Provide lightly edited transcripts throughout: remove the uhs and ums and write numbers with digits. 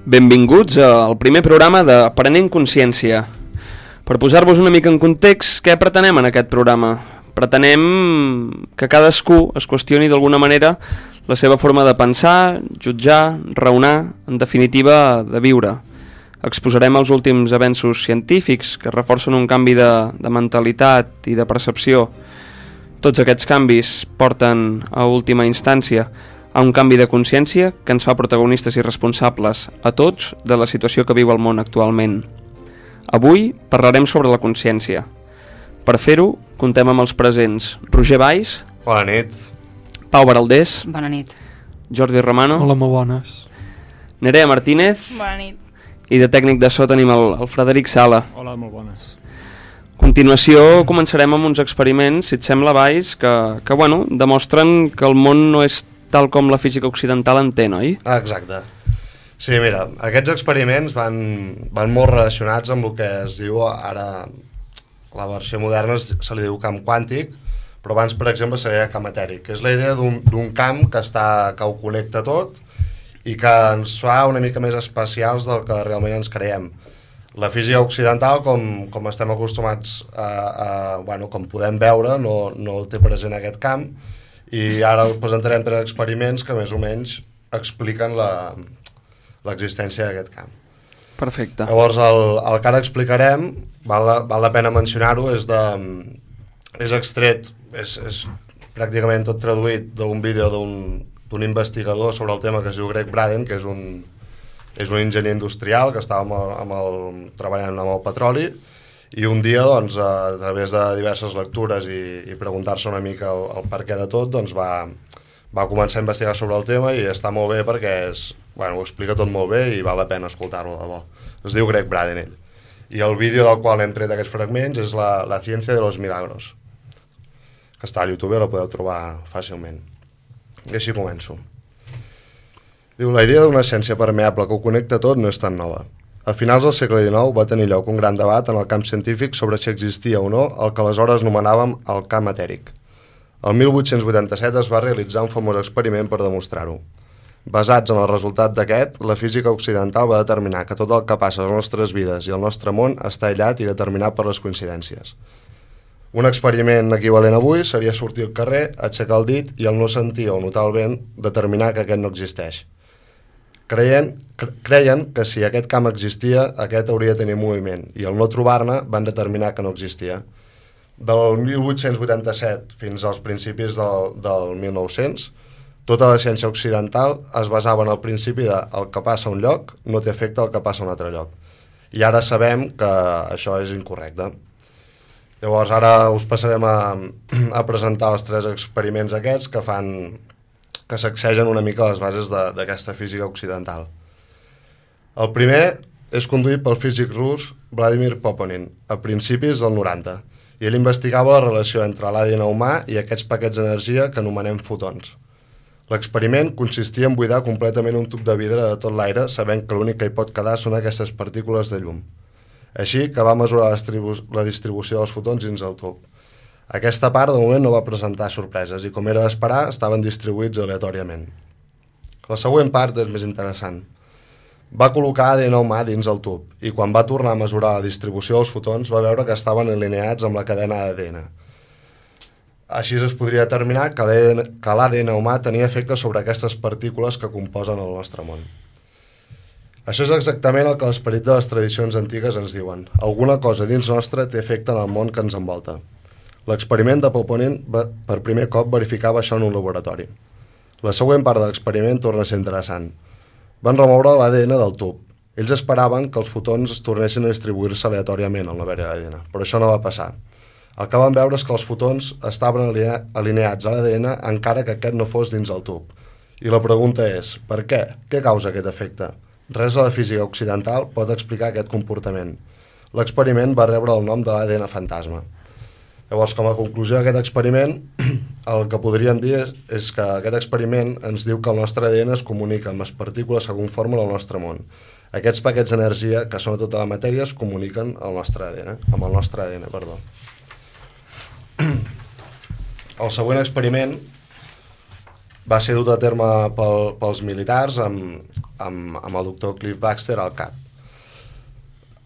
Benvinguts al primer programa d'Aprenent Consciència. Per posar-vos una mica en context, què pretenem en aquest programa? Pretenem que cadascú es qüestioni d'alguna manera la seva forma de pensar, jutjar, raonar, en definitiva, de viure. Exposarem els últims avenços científics que reforcen un canvi de mentalitat i de percepció. Tots aquests canvis porten, a última instància, a un canvi de consciència que ens fa protagonistes i responsables a tots de la situació que viu el món actualment. Avui parlarem sobre la consciència. Per fer-ho, contem amb els presents Roger Valls. Bona nit. Pau Baraldés. Bona nit. Jordi Romano. Hola, molt bones. Nerea Martínez. Bona nit. I de tècnic de so tenim el Frederic Sala. Hola, molt bones. A continuació començarem amb uns experiments, si et sembla, Valls, que demostren que el món no és tal com la física occidental entén, oi? Exacte. Sí, mira, aquests experiments van molt relacionats amb el que es diu ara, la versió moderna se li diu camp quàntic, però abans, per exemple, seria camp etèric, que és la idea d'un camp que ho connecta tot i que ens fa una mica més especials del que realment ens creiem. La física occidental, com estem acostumats com podem veure, no té present aquest camp, i ara us presentarem 3 experiments que més o menys expliquen l'existència d'aquest camp. Perfecte. Llavors, el que ara explicarem, val la pena mencionar-ho, és extret, és pràcticament tot traduït d'un vídeo d'un investigador sobre el tema que es diu Greg Braden, que és un enginyer industrial que estava treballant amb el petroli, i un dia, doncs, a través de diverses lectures i preguntar-se una mica el per què de tot, doncs va començar a investigar sobre el tema i està molt bé perquè ho explica tot molt bé i val la pena escoltar-lo de bo. Es diu Greg Braden, ell. I el vídeo del qual hem tret aquests fragments és la ciència de los milagros, que està a YouTube, la podeu trobar fàcilment. I així començo. Diu, la idea d'una ciència permeable que ho connecta tot no és tan nova. A finals del segle XIX va tenir lloc un gran debat en el camp científic sobre si existia o no el que aleshores anomenàvem el camp etèric. El 1887 es va realitzar un famós experiment per demostrar-ho. Basats en el resultat d'aquest, la física occidental va determinar que tot el que passa a les nostres vides i al nostre món està aïllat i determinat per les coincidències. Un experiment equivalent avui seria sortir al carrer, aixecar el dit i al no sentir o notar el vent determinar que aquest no existeix. Creien que si aquest camp existia, aquest hauria de tenir moviment, i al no trobar-ne van determinar que no existia. Del 1887 fins als principis del 1900, tota la ciència occidental es basava en el principi de el que passa a un lloc no té efecte al que passa a un altre lloc. I ara sabem que això és incorrecte. Llavors ara us passarem a presentar els 3 experiments aquests que sacsegen una mica les bases d'aquesta física occidental. El primer és conduït pel físic rus Vladimir Poponin a principis del 90, i ell investigava la relació entre l'ADN humà i aquests paquets d'energia que anomenem fotons. L'experiment consistia en buidar completament un tub de vidre de tot l'aire, sabent que l'únic que hi pot quedar són aquestes partícules de llum. Així que va mesurar la distribució dels fotons dins el tub. Aquesta part, de moment, no va presentar sorpreses i, com era d'esperar, estaven distribuïts aleatòriament. La següent part és més interessant. Va col·locar ADN humà dins el tub i, quan va tornar a mesurar la distribució dels fotons, va veure que estaven alineats amb la cadena d'ADN. Així es podria determinar que l'ADN humà tenia efecte sobre aquestes partícules que composen el nostre món. Això és exactament el que l'esperit de les tradicions antigues ens diuen. Alguna cosa dins nostre té efecte en el món que ens envolta. L'experiment de Poponin per primer cop verificava això en un laboratori. La següent part de l'experiment torna a ser interessant. Van remoure l'ADN del tub. Ells esperaven que els fotons es tornessin a distribuir-se aleatòriament al no haver-hi ADN, però això no va passar. El que van veure és que els fotons estaven alineats a l'ADN encara que aquest no fos dins el tub. I la pregunta és, per què? Què causa aquest efecte? Res a la física occidental pot explicar aquest comportament. L'experiment va rebre el nom de l'ADN fantasma. Llavors, com a conclusió d'aquest experiment, el que podríem dir és que aquest experiment ens diu que el nostre ADN es comunica amb les partícules que conformen el nostre món. Aquests paquets d'energia, que són tota la matèria, es comuniquen amb el nostre ADN. El següent experiment va ser dut a terme pels militars amb el doctor Cliff Baxter al cap.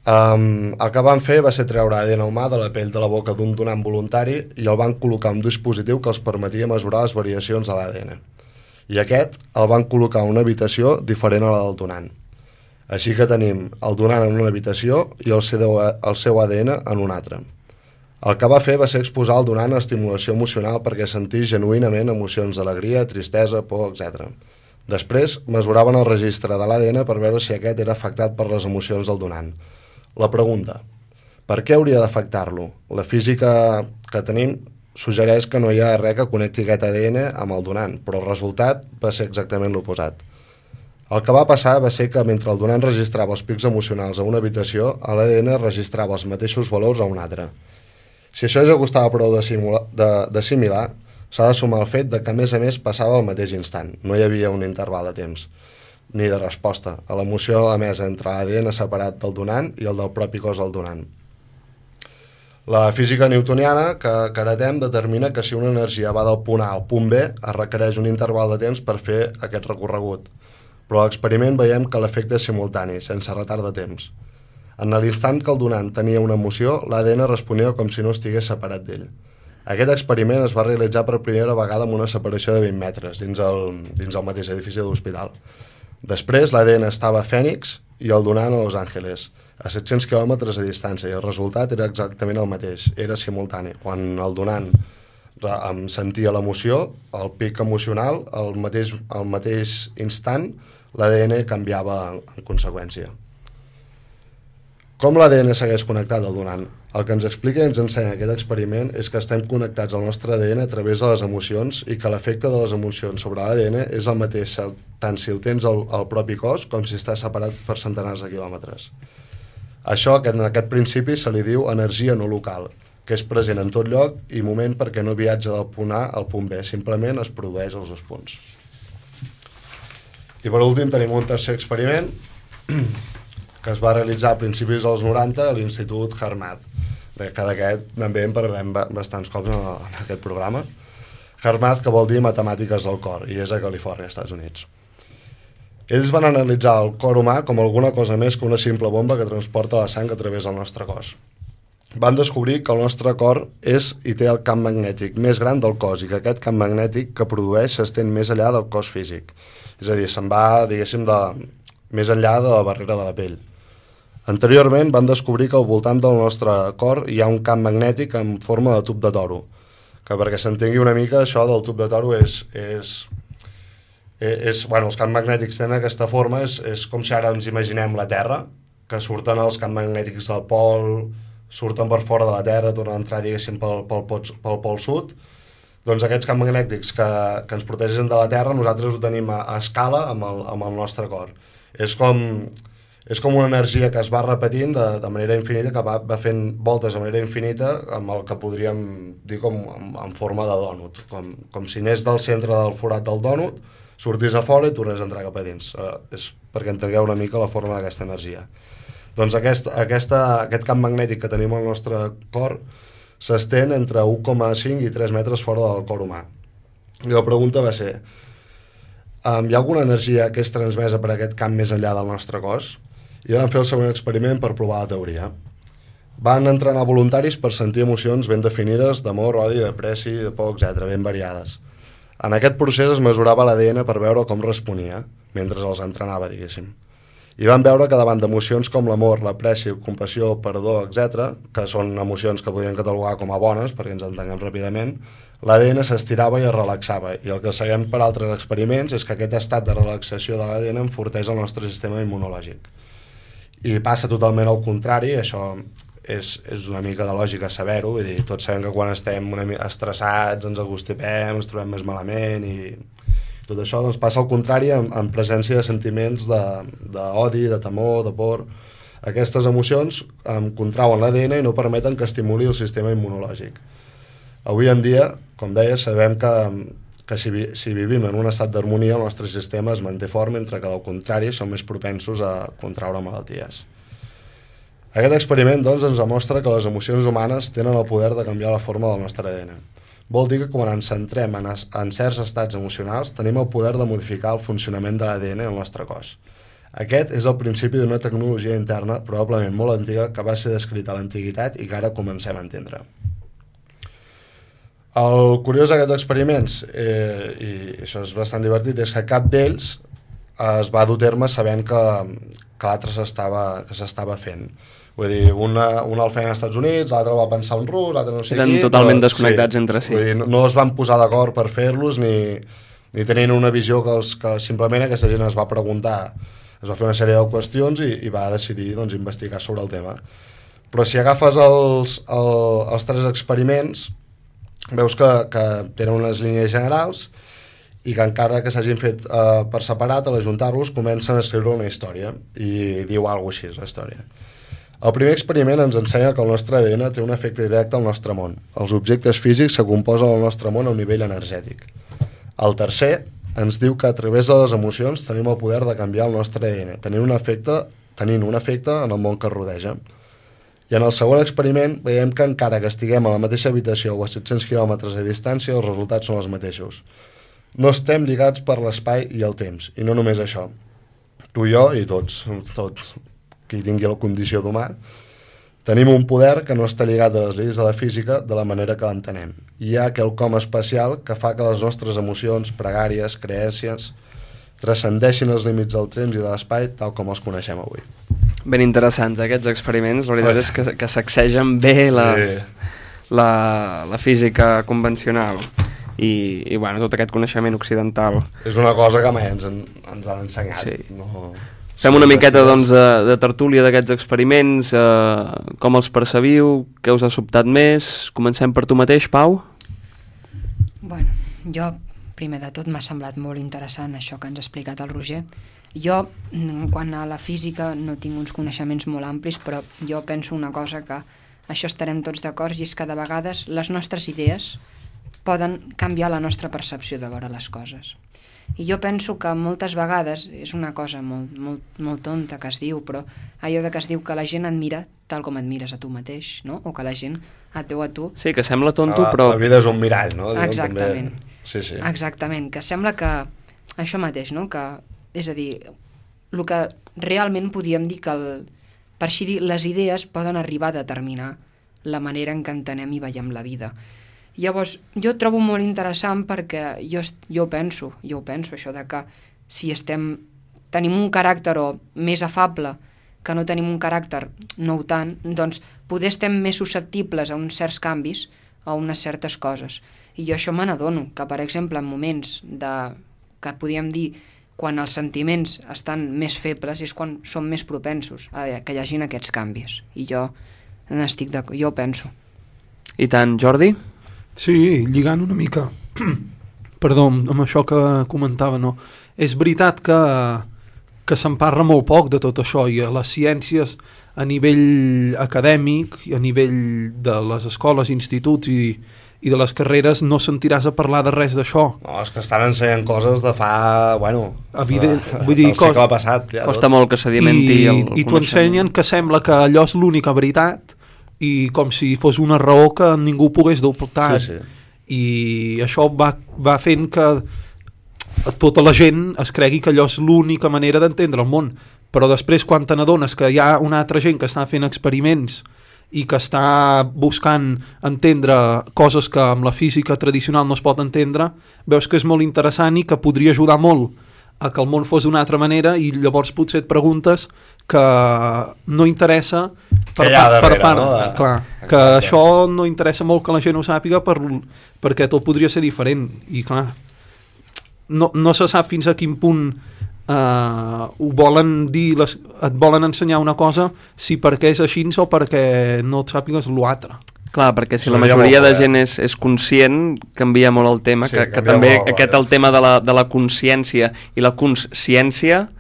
El que van fer va ser treure ADN humà de la pell de la boca d'un donant voluntari i el van col·locar un dispositiu que els permetia mesurar les variacions de l'ADN. I aquest el van col·locar en una habitació diferent a la del donant. Així que tenim el donant en una habitació i el seu ADN en una altra. El que va fer va ser exposar el donant a estimulació emocional perquè sentís genuïnament emocions d'alegria, tristesa, por, etc. Després mesuraven el registre de l'ADN per veure si aquest era afectat per les emocions del donant. La pregunta: per què hauria d'afectar-lo? La física que tenim suggereix que no hi ha res que connecti aquest ADN amb el donant, però el resultat va ser exactament l'oposat. El que va passar va ser que mentre el donant registrava els pics emocionals a una habitació, l'ADN registrava els mateixos valors a una altra. Si això ja costava prou d'assimilar, s'ha de sumar el fet de que a més passava al mateix instant, no hi havia un interval de temps ni de resposta a l'emoció emesa entre l'ADN separat del donant i el del propi cos del donant. La física newtoniana que heretem determina que si una energia va del punt A al punt B es requereix un interval de temps per fer aquest recorregut, però a l'experiment veiem que l'efecte és simultani, sense retard de temps. En l'instant que el donant tenia una emoció, l'ADN responia com si no estigués separat d'ell. Aquest experiment es va realitzar per primera vegada amb una separació de 20 metres dins el mateix edifici de l'hospital. Després l'ADN estava a Phoenix i el donant a Los Angeles, a 700 quilòmetres de distància, i el resultat era exactament el mateix, era simultani. Quan el donant sentia l'emoció, el pic emocional, al mateix instant, l'ADN canviava en conseqüència. Com l'ADN segueix connectat al donant? El que ens explica i ens ensenya aquest experiment és que estem connectats al nostre ADN a través de les emocions i que l'efecte de les emocions sobre l'ADN és el mateix tant si el tens al propi cos com si està separat per centenars de quilòmetres. Això, en aquest principi, se li diu energia no local, que és present en tot lloc i moment perquè no viatja del punt A al punt B, simplement es produeix als dos punts. I per últim tenim un tercer experiment que es va realitzar a principis dels 90 a l'Institut Harmat. Que d'aquest també en parlarem bastants cops en aquest programa. Harmat, que vol dir matemàtiques del cor, i és a Califòrnia, Estats Units. Ells van analitzar el cor humà com alguna cosa més que una simple bomba que transporta la sang a través del nostre cos. Van descobrir que el nostre cor és i té el camp magnètic més gran del cos i que aquest camp magnètic que produeix s'estén més enllà del cos físic. És a dir, se'n va, diguéssim, més enllà de la barrera de la pell. Anteriorment van descobrir que al voltant del nostre cor hi ha un camp magnètic en forma de tub de toro, que perquè s'entengui una mica això del tub de toro els camps magnètics tenen aquesta forma, és com si ara ens imaginem la Terra, que surten els camps magnètics del pol, surten per fora de la Terra, tornen a entrar, diguéssim, pel pol sud. Doncs aquests camps magnètics que ens protegeixen de la Terra, nosaltres ho tenim a escala amb el nostre cor. És com una energia que es va repetint de manera infinita, que va fent voltes de manera infinita amb el que podríem dir com en forma de dònut, com si anés del centre del forat del dònut, sortís a fora i tornés a entrar cap a dins. És perquè entengueu una mica la forma d'aquesta energia. Doncs aquest camp magnètic que tenim al nostre cor s'estén entre 1,5 i 3 metres fora del cor humà. I la pregunta va ser: hi ha alguna energia que és transmesa per aquest camp més enllà del nostre cos? I van fer el següent experiment per provar la teoria. Van entrenar voluntaris per sentir emocions ben definides d'amor, odi, de pressi, de por, etc., ben variades. En aquest procés es mesurava l'ADN per veure com responia, mentre els entrenava, diguéssim. I van veure que davant d'emocions com l'amor, la pressi, compassió, perdó, etc., que són emocions que podríem catalogar com a bones, perquè ens entenguem ràpidament, l'ADN s'estirava i es relaxava, i el que sabem per altres experiments és que aquest estat de relaxació de l'ADN enforteix el nostre sistema immunològic. I passa totalment al contrari, això és una mica de lògica saber-ho, vull dir, tots sabem que quan estem una mica estressats ens agostipem, ens trobem més malament i tot això doncs passa al contrari en presència de sentiments d'odi, de temor, de por. Aquestes emocions contrauen l'ADN i no permeten que estimuli el sistema immunològic. Avui en dia, com deia, sabem que si vivim en un estat d'harmonia el nostre sistema es manté fort, mentre que del contrari som més propensos a contraure malalties. Aquest experiment doncs, ens demostra que les emocions humanes tenen el poder de canviar la forma del nostre ADN. Vol dir que quan ens centrem en certs estats emocionals tenim el poder de modificar el funcionament de l'ADN al nostre cos. Aquest és el principi d'una tecnologia interna probablement molt antiga que va ser descrita a l'antiguitat i que ara comencem a entendre. El curiós d'aquests experiments, i això és bastant divertit, és que cap d'ells es va dur a terme sabent que l'altre s'estava fent. Vull dir, un el feien als Estats Units, l'altre el va pensar un rus, l'altre no sé qui... Eren totalment desconnectats entre si. Vull dir, no es van posar d'acord per fer-los ni tenien una visió que simplement aquesta gent es va preguntar, es va fer una sèrie de qüestions i va decidir investigar sobre el tema. Però si agafes els 3 experiments, veus que tenen unes línies generals i que encara que s'hagin fet per separat, a l'ajuntar-los comencen a escriure una història i diu alguna cosa així, la història. El primer experiment ens ensenya que el nostre ADN té un efecte directe al nostre món. Els objectes físics se composen al nostre món a un nivell energètic. El tercer ens diu que a través de les emocions tenim el poder de canviar el nostre ADN, tenint un efecte en el món que rodeja. I en el segon experiment veiem que encara que estiguem a la mateixa habitació o a 700 quilòmetres de distància, els resultats són els mateixos. No estem lligats per l'espai i el temps, i no només això. Tu i jo i tots qui tingui la condició d'humà, tenim un poder que no està lligat a les lleis de la física de la manera que l'entenem. Hi ha quelcom especial que fa que les nostres emocions, pregàries, creences, transcendeixin els límits del temps i de l'espai tal com els coneixem avui. Ben interessants aquests experiments, la veritat és que sacsegen bé la física convencional i bueno, tot aquest coneixement occidental. És una cosa que mai ens han ensenyat. Sí. No... Fem una miqueta de tertúlia d'aquests experiments, com els percebiu, què us ha sobtat més? Comencem per tu mateix, Pau? Bueno, jo, primer de tot, m'ha semblat molt interessant això que ens ha explicat el Roger. Jo, quant a la física, no tinc uns coneixements molt amplis, però jo penso una cosa que això estarem tots d'acord, i és que de vegades les nostres idees poden canviar la nostra percepció de veure les coses. I jo penso que moltes vegades, és una cosa molt tonta que es diu, però allò de que es diu que la gent et mira tal com et mires a tu mateix, no? O que la gent et veu a tu... Sí, que sembla tonto, però... La vida és un mirall, no? Exactament. Sí. Exactament, que sembla que... Això mateix, no? Que, és a dir, el que realment podíem dir que, per així dir, les idees poden arribar a determinar la manera en què entenem i veiem la vida. Llavors, jo trobo molt interessant perquè jo penso això de que si tenim un caràcter més afable que no tenim un caràcter no tant, doncs poder estem més susceptibles a uns certs canvis, a unes certes coses. I jo això me n'adono, que per exemple en moments que podríem dir quan els sentiments estan més febles és quan som més propensos a que hi hagin aquests canvis. I jo penso. I tant, Jordi? Sí, lligant una mica perdó, amb això que comentava, no? És veritat que se'n parla molt poc de tot això i a les ciències a nivell acadèmic i a nivell de les escoles, instituts i de les carreres no sentiràs a parlar de res d'això. No, és que estan ensenyant coses de fa, bueno, vull dir, el segle passat. Ja, costa molt que sedimenti el coneixement. I t'ho ensenyen que sembla que allò és l'única veritat i com si fos una raó que ningú pogués dubtar. Sí. I això va fent que tota la gent es cregui que allò és l'única manera d'entendre el món, però després quan te n'adones que hi ha una altra gent que està fent experiments i que està buscant entendre coses que amb la física tradicional no es pot entendre, veus que és molt interessant i que podria ajudar molt a que el món fos d'una altra manera i llavors potser et preguntes que no interessa per part, no? Clar, que això no interessa molt que la gent ho sàpiga perquè tot podria ser diferent i clar, no se sap fins a quin punt ho volen dir, et volen ensenyar una cosa si perquè és així o perquè no et sàpigues l'altre. Clar, perquè si la majoria de gent és conscient, canvia molt el tema, sí, que també el tema de la consciència i la consciència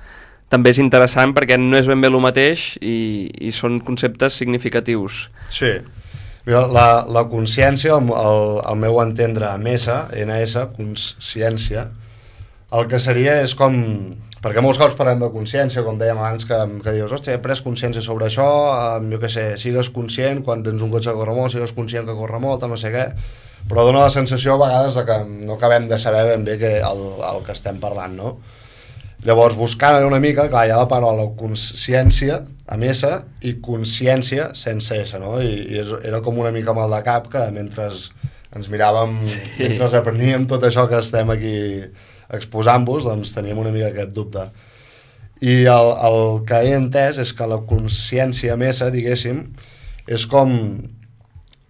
també és interessant perquè no és ben bé el mateix i són conceptes significatius. Sí, la consciència, al meu entendre amb NS, consciència, el que seria és com... Perquè molts cops parlem de consciència, com dèiem abans, que dius, hòstia, he pres consciència sobre això, jo què sé, sigues conscient quan tens un cotxe que corre molt, sigues conscient que corre molt, no sé què, però dona la sensació a vegades de que no acabem de saber ben bé el que estem parlant, no? Llavors, buscant una mica, clar, hi ha la paraula consciència amb S i consciència sense S, no? I era com una mica mal de cap que mentre ens miràvem, mentre apreníem tot això que estem aquí exposant-vos, doncs teníem una mica aquest dubte. I el que he entès és que la consciència amb S, diguéssim, és com...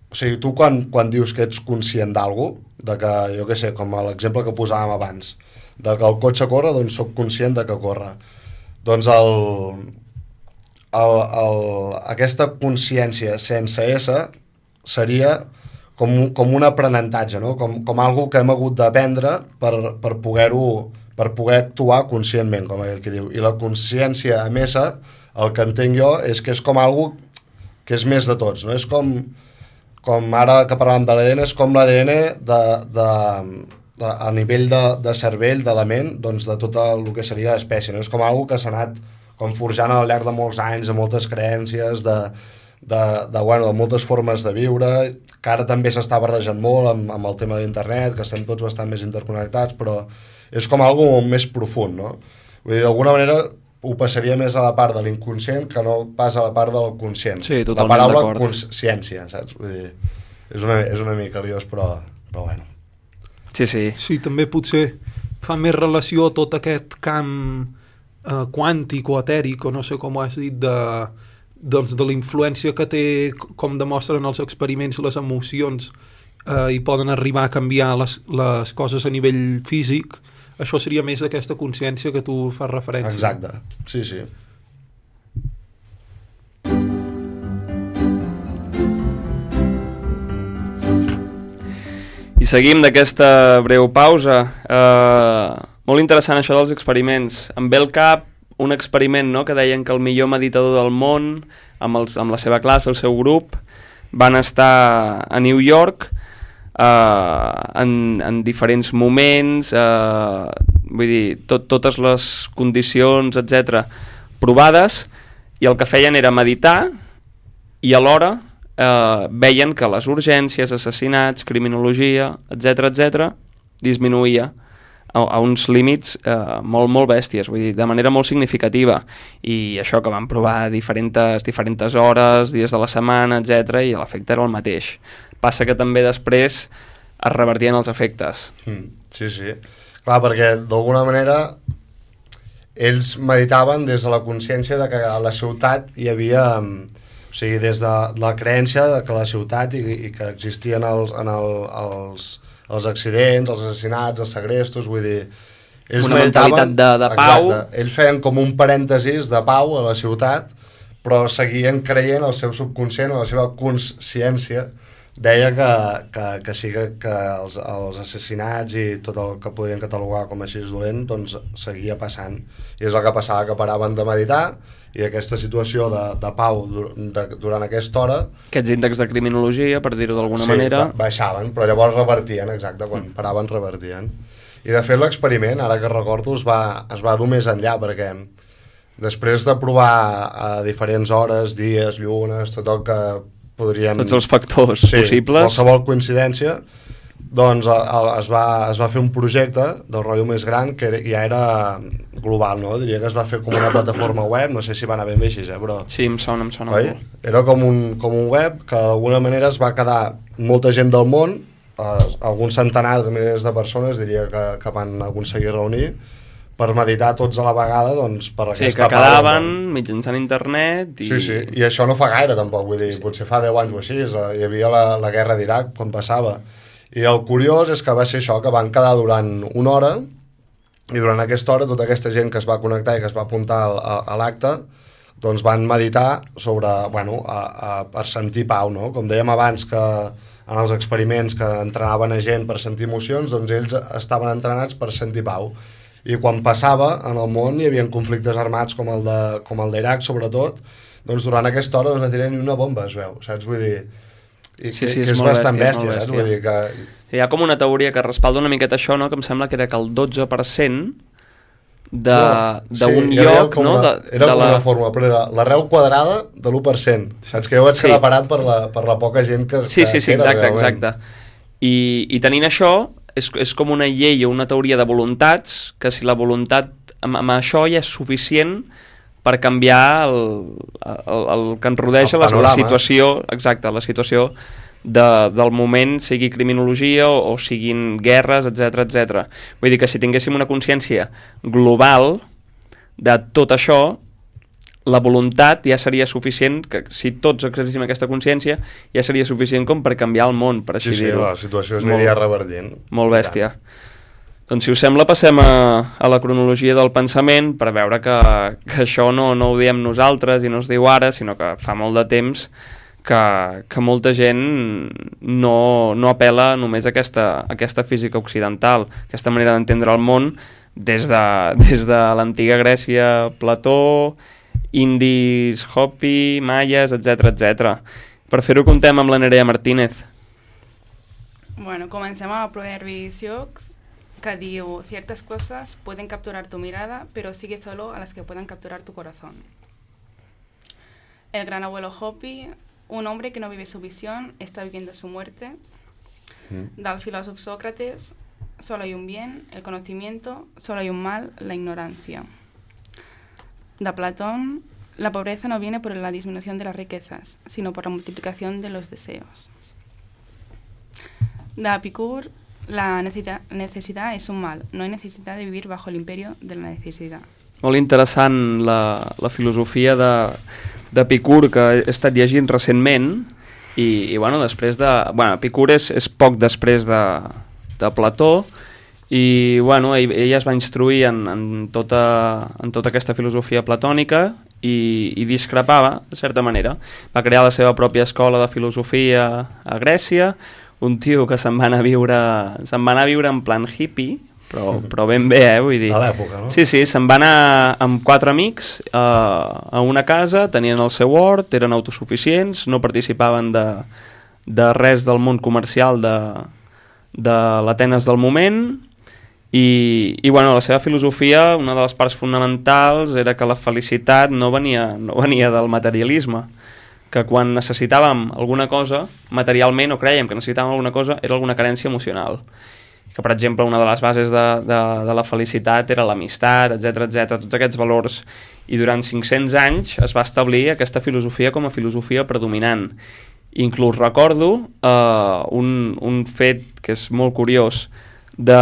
O sigui, tu quan dius que ets conscient d'algú, de que, jo què sé, com l'exemple que posàvem abans, de que el cotxe corre, doncs soc conscient de que corre. Doncs aquesta consciència sense S seria com un aprenentatge, no? Com algo que hem hagut d'aprendre per poder actuar conscientment, com aquell que diu. I la consciència amb S, el que entenc jo, és que és com algo que és més de tots, no? És com ara que parlàvem de l'ADN, és com l'ADN a nivell de cervell, de la ment, doncs de tot el que seria l'espècie, no? És com algo que s'ha anat com forjant al llarg de molts anys, de moltes creences, de moltes formes de viure, que ara també s'està barrejant molt amb el tema d'internet, que estem tots bastant més interconnectats, però és com algo més profund, no? Vull dir, d'alguna manera ho passaria més a la part de l'inconscient que no pas a la part del conscient. Sí, totalment d'acord. La d'acord. paraula consciència, saps? Vull dir, és una mica liós, però bueno. Sí. Sí, també potser fa més relació a tot aquest camp quàntic o etèric, o no sé com ho has dit, de la influència que té, com demostren els experiments, les emocions, i poden arribar a canviar les coses a nivell físic. Això seria més d'aquesta consciència que tu fas referència. Exacte, sí. I seguim d'aquesta breu pausa. Molt interessant això dels experiments. Em ve al cap un experiment, no?, que deien que el millor meditador del món, amb la seva classe, el seu grup, van estar a New York en diferents moments, vull dir, totes les condicions, etc, provades, i el que feien era meditar, i alhora veien que les urgències, assassinats, criminologia, etc, disminuïa a uns límits molt bèsties, vull dir, de manera molt significativa. I això que van provar diferents hores, dies de la setmana, etc, i l'efecte era el mateix. Passa que també després es revertien els efectes. Sí. Clar, perquè d'alguna manera ells meditaven des de la consciència de que a la ciutat hi havia... O sigui, des de la creença de que la ciutat i que existien els accidents, els assassinats, els segrestos, vull dir... Ells una mentalitat de pau. Exacte. Ells feien com un parèntesis de pau a la ciutat, però seguien creient el seu subconscient, la seva consciència, deia que sí que els assassinats i tot el que podrien catalogar com així dolent, doncs seguia passant. I és el que passava, que paraven de meditar, i aquesta situació de pau durant aquesta hora... Aquests índexs de criminologia, per dir-ho d'alguna manera... baixaven, però llavors revertien, exacte, quan paraven revertien. I de fet l'experiment, ara que recordo, es va dur més enllà, perquè després de provar a diferents hores, dies, llunes, tot el que podríem... Tots els factors possibles. Qualsevol coincidència, doncs es va fer un projecte del rotllo més gran que ja era global, no? Diria que es va fer com una plataforma web, no sé si va anar ben bé així, però... Sí, em sona oi? molt. Era com un web que d'alguna manera es va quedar molta gent del món, alguns centenars de milers de persones, diria que van aconseguir reunir, per meditar tots a la vegada, doncs, per aquesta que quedaven mitjançant internet i... Sí, i això no fa gaire tampoc, vull dir, potser fa 10 anys o així, hi havia la guerra d'Iraq quan passava, i el curiós és que va ser això, que van quedar durant una hora, i durant aquesta hora tota aquesta gent que es va connectar i que es va apuntar a l'acte, doncs van meditar sobre, per sentir pau, no? Com dèiem abans que en els experiments que entrenaven a gent per sentir emocions, doncs ells estaven entrenats per sentir pau. I quan passava en el món hi havia conflictes armats com el d'Iraq sobretot, doncs durant aquesta hora no es va tirar ni una bomba, es veu, saps? Vull dir, que és bastant bèstia, saps? Vull dir que... Hi ha com una teoria que respalda una miqueta això, no? Que em sembla que era que el 12% d'un lloc... Era com una fórmula, però era l'arrel quadrada de l'1%, saps? Que jo vaig quedar parat per la poca gent que Sí, exacte. I tenint això, és com una llei o una teoria de voluntats, que si la voluntat amb això ja és suficient per canviar el que ens rodeja, la situació, exacte, la situació del moment, sigui criminologia o siguin guerres, etc. Vull dir que si tinguéssim una consciència global de tot això, la voluntat ja seria suficient, que si tots exercíssim aquesta consciència, ja seria suficient com per canviar el món, per així dir-ho. Sí, la situació es aniria revertint. Molt bèstia. Doncs si us sembla passem a la cronologia del pensament per veure que això no ho diem nosaltres i no es diu ara, sinó que fa molt de temps que molta gent no apela només a aquesta física occidental, aquesta manera d'entendre el món des de l'antiga Grècia, Plató, indis, Hopi, maies, etc. Per fer-ho contem amb la Nerea Martínez. Bueno, comencem amb Proverbi Sioux, que diu: ciertas cosas pueden capturar tu mirada, pero sigue solo a las que puedan capturar tu corazón. El gran abuelo Hopi: un hombre que no vive su visión está viviendo su muerte. Del filósofo Sócrates: solo hay un bien, el conocimiento; solo hay un mal, la ignorancia. De Platón: la pobreza no viene por la disminución de las riquezas, sino por la multiplicación de los deseos. De Epicur: la necesidad es un mal, no hay necesidad de vivir bajo el imperio de la necesidad. Molt interessant la filosofia d'Epicur, que he estat llegint recentment, i bueno, després de... Bueno, Epicur és poc després de Plató, i bueno, ell es va instruir en tota aquesta filosofia platònica i discrepava, de certa manera. Va crear la seva pròpia escola de filosofia a Grècia, un tio que se'n va anar a viure en plan hippie, però ben bé, vull dir. A l'època, no? Sí, se'n va anar amb 4 amics a una casa, tenien el seu hort, eren autosuficients, no participaven de res del món comercial de l'Atenes del moment, i bueno, la seva filosofia, una de les parts fonamentals era que la felicitat no venia del materialisme, que quan necessitàvem alguna cosa materialment, o creiem que necessitàvem alguna cosa, era alguna carència emocional, que per exemple una de les bases de la felicitat era l'amistat, etc, tots aquests valors, i durant 500 anys es va establir aquesta filosofia com a filosofia predominant. Inclús recordo un fet que és molt curiós, de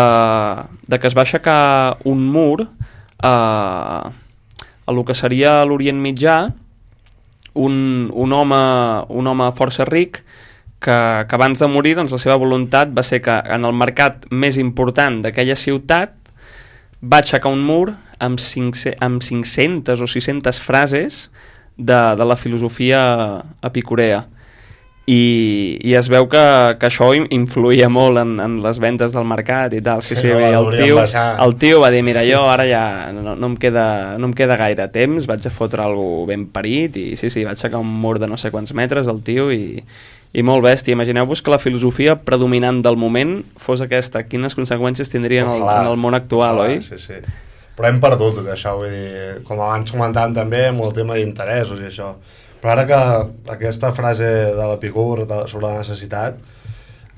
que es va aixecar un mur a lo que seria l'Orient Mitjà, un home força ric que abans de morir, doncs, la seva voluntat va ser que en el mercat més important d'aquella ciutat va aixecar un mur amb 500 o 600 frases de la filosofia epicurea. I es veu que això influïa molt en les vendes del mercat i tal. Sí, el tio va dir: mira, jo ara ja no em queda gaire temps, vaig a fotre alguna ben parit, i sí, va aixecar un mur de no sé quants metres el tio, i molt bèstia. Imagineu-vos que la filosofia predominant del moment fos aquesta. Quines conseqüències tindria en el món actual, oi? Sí. Però hem perdut tot això, vull dir, com abans comentàvem també, amb el tema d'interessos i això. Però ara que aquesta frase de l'Epicur sobre la necessitat...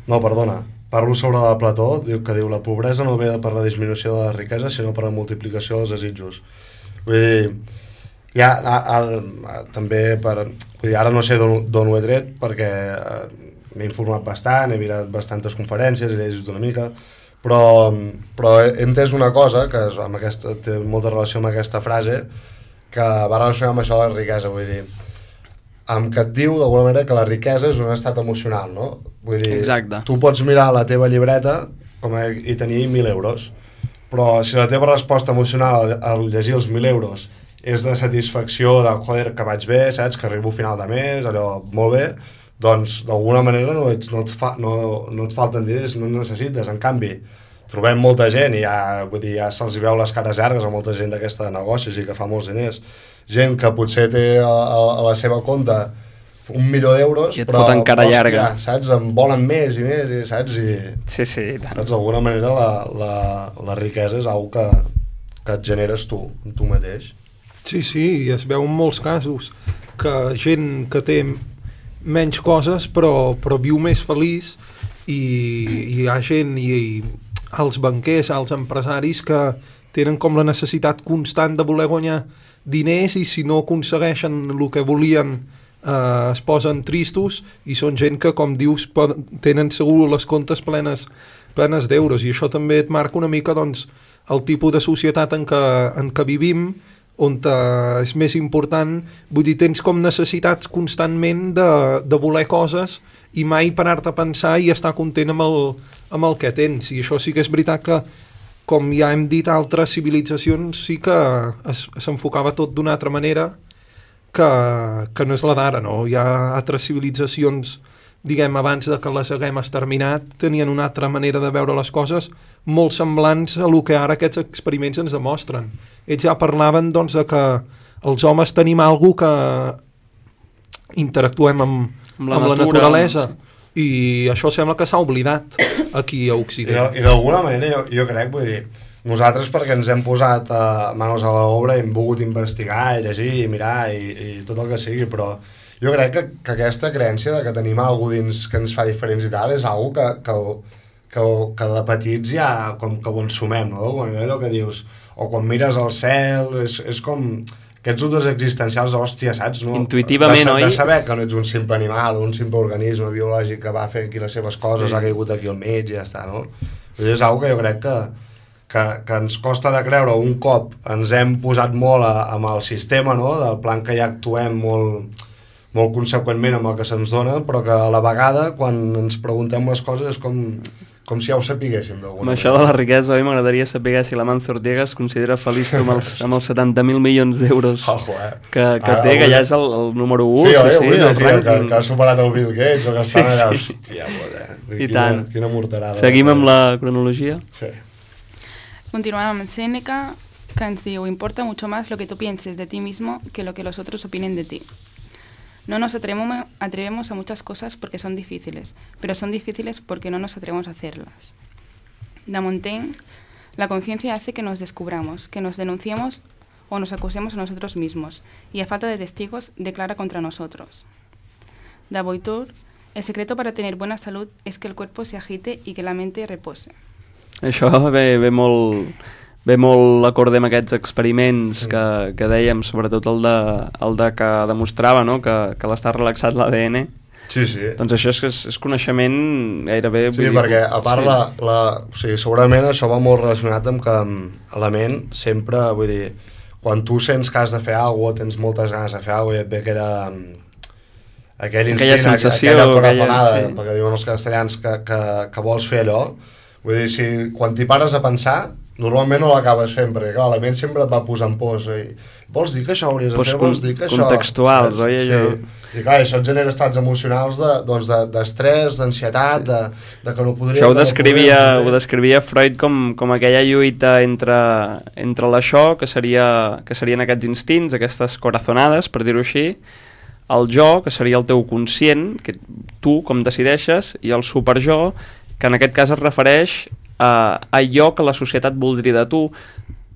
No, perdona, parlo sobre la Plató, que diu: la pobresa no ve per la disminució de la riquesa, sinó per la multiplicació dels desitjos. Vull dir, també vull dir, ara no sé d'on ho he tret, perquè m'he informat bastant, he mirat bastantes conferències, he llegit una mica, però he entès una cosa que té molta relació amb aquesta frase, que va relacionar amb això de la riquesa, vull dir, que et diu d'alguna manera que la riquesa és un estat emocional, no? Vull dir, exacte. Tu pots mirar la teva llibreta i tenir 1.000 euros, però si la teva resposta emocional al llegir els 1.000 euros és de satisfacció, de joder, que vaig bé, saps, que arribo a final de mes, allò, molt bé, doncs d'alguna manera no et falten diners, no necessites. En canvi, trobem molta gent i ja se'ls veu les cares llargues a molta gent d'aquesta negocis i que fa molts diners. Gent que potser té a la seva compte 1.000.000 d'euros, però hòstia, saps, en volen més i més, saps? Sí, i tant. Saps, d'alguna manera la riquesa és una que et generes tu mateix. Sí, i es veu en molts casos que gent que té menys coses però viu més feliç, hi ha gent i els banquers, els empresaris que tenen com la necessitat constant de voler guanyar diners i si no aconsegueixen el que volien es posen tristos i són gent que, com dius, tenen segur les comptes plenes d'euros i això també et marca una mica doncs, el tipus de societat en què vivim, on és més important, vull dir, tens com necessitats constantment de voler coses i mai parar-te a pensar i estar content amb el que tens. I això sí que és veritat que, com ja hem dit, altres civilitzacions sí que s'enfocava tot d'una altra manera que no és la d'ara, no? Hi ha altres civilitzacions, diguem, abans de que les haguem exterminat, tenien una altra manera de veure les coses molt semblants a el que ara aquests experiments ens demostren. Ells ja parlaven doncs, de que els homes tenim alguna que interactuem amb la naturalesa i això sembla que s'ha oblidat aquí a Occident. I d'alguna manera jo crec, vull dir, nosaltres perquè ens hem posat manos a l'obra i hem volgut investigar i llegir i mirar i tot el que sigui, però jo crec que aquesta creença de que tenim alguna dins que ens fa diferents i tal és algo que de petits ja com que ho ensumem, no? Quan allò que dius, o quan mires al cel, és com aquests dubtes existencials, hòstia, saps? No? Intuïtivament, oi? De saber que no ets un simple animal, un simple organisme biològic que va fent aquí les seves coses, ha caigut aquí al mig i ja està, no? És algo que jo crec que ens costa de creure. Un cop ens hem posat molt amb el sistema, no? Del plan que ja actuem molt conseqüentment amb el que se'ns dona, però que a la vegada, quan ens preguntem les coses, és com si ja ho sapiguéssim d'alguna manera. Amb això de la riquesa, oi? M'agradaria saber si l'Amancio Ortega es considera feliç amb els 70.000 milions d'euros que té, que ja és el número 1. Sí, vull dir que ha superat el Bill Gates, o que estan allà, hòstia, quina morterada. Seguim amb la cronologia? Sí. Continuamos amb Séneca, que ens diu: importa mucho más lo que tú pienses de ti mismo que lo que los otros opinen de ti. No nos atrevemos a muchas cosas porque son difíciles, pero son difíciles porque no nos atrevemos a hacerlas. De Montaigne, la conciencia hace que nos descubramos, que nos denunciemos o nos acusemos a nosotros mismos, y a falta de testigos declara contra nosotros. De Boitur, el secreto para tener buena salud es que el cuerpo se agite y que la mente repose. Això ve molt acord amb aquests experiments que dèiem, sobretot el de que demostrava, no? que l'estar relaxat l'ADN. Sí. Doncs això és coneixement gairebé... Sí, perquè a part segurament això va molt relacionat amb que la ment sempre, vull dir, quan tu sents que has de fer alguna cosa, tens moltes ganes de fer alguna cosa i et ve aquell instinct, aquella corazonada, perquè diuen els castellans que vols fer allò, vull dir, quan t'hi pares a pensar, normalment no l'acabes fent, perquè clar, la ment sempre et va posant pors. Vols dir que això hauries de fer? Vols dir que això... Contextuals, oi? Sí. I clar, això et genera estats emocionals d'estrès, d'ansietat, de que no podria... Això ho descrivia Freud com aquella lluita entre l'això, que serien aquests instints, aquestes corazonades, per dir-ho així, el jo, que seria el teu conscient, que tu com decideixes, i el superjo, que en aquest cas es refereix a allò que la societat voldria de tu,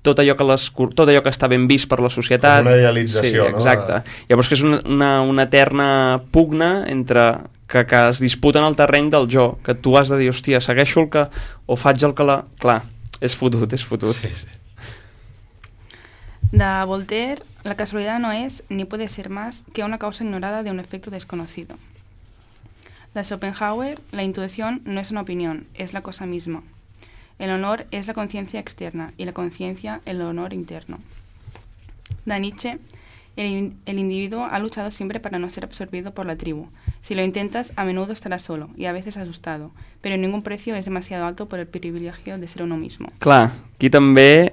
tot allò que està ben vist per la societat. És una idealització, sí, exacte. No? Llavors que és una eterna pugna entre que es disputen el terreny del jo, que tu has de dir, hòstia, segueixo el que... o faig el que la... Clar, és fotut. Sí. De Voltaire, la casualidad no es ni puede ser más que una causa ignorada de un efecto desconocido. De Schopenhauer, la intuición no es una opinión, es la cosa misma. El honor es la conciencia externa y la conciencia el honor interno. De Nietzsche, el individuo ha luchado siempre para no ser absorbido por la tribu. Si lo intentas, a menudo estarás solo y a veces asustado, pero ningún precio es demasiado alto por el privilegio de ser uno mismo. Clar, aquí també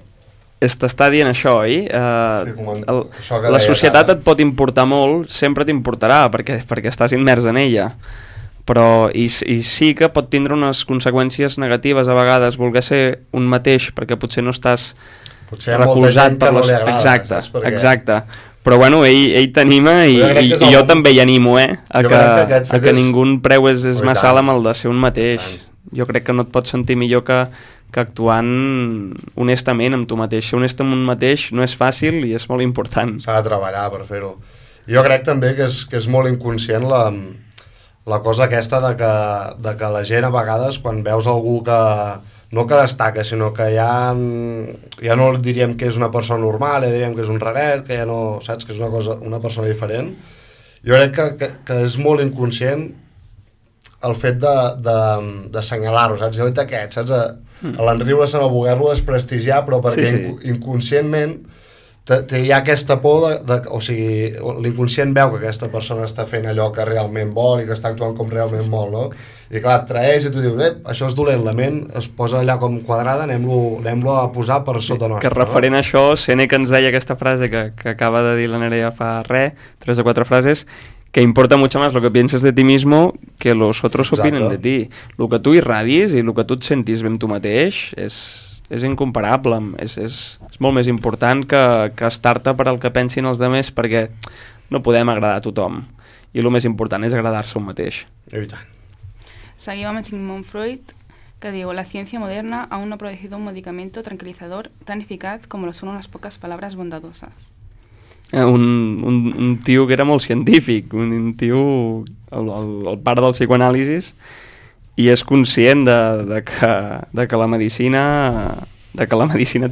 t'està dient això, oi? La societat et pot importar molt, sempre t'importarà, perquè estàs immers en ella. Però i sí que pot tindre unes conseqüències negatives a vegades voler ser un mateix, perquè potser no estàs recolzat per les... Exacte. Però bueno, ell t'anima i jo també hi animo, a que ningú preu és massa alt amb el de ser un mateix. Jo crec que no et pots sentir millor que actuant honestament amb tu mateix. Ser honest amb un mateix no és fàcil i és molt important. S'ha de treballar per fer-ho. Jo crec també que és molt inconscient la cosa aquesta de que la gent a vegades quan veus algú que no que destaca, sinó que ja no diríem que és una persona normal, ja diríem que és un raret, que ja no, saps, que és una persona diferent. Jo crec que és molt inconscient el fet d'assenyalar-ho, saps? Jo aquest, saps? A l'enriure-se, a voler-lo desprestigiar, però perquè inconscientment hi ha aquesta por o sigui, l'inconscient veu que aquesta persona està fent allò que realment vol i que està actuant com realment vol, no? I clar, et traeix i tu dius, això és dolent, la ment es posa allà com quadrada, anem-lo a posar per sota nostra. Que referent a això, Sèneca ens deia aquesta frase que acaba de dir la Nerea fa 3 o 4 frases, que importa mucho más lo que pienses de ti mismo que los otros opinen de ti. El que tu irradis i el que tu et sentis ben tu mateix és incomparable, és molt més important que estar-te per al que pensin els demés, perquè no podem agradar a tothom i el més important és agradar-se un mateix. I tant. Seguim amb Sigmund Freud, que diu: la ciencia moderna aún no ha producido un medicamento tranquilizador tan eficaz como lo son unas pocas palabras bondadosas. Un tio que era molt científic, un tio, el pare del psicoanàlisis, i és conscient de que la medicina té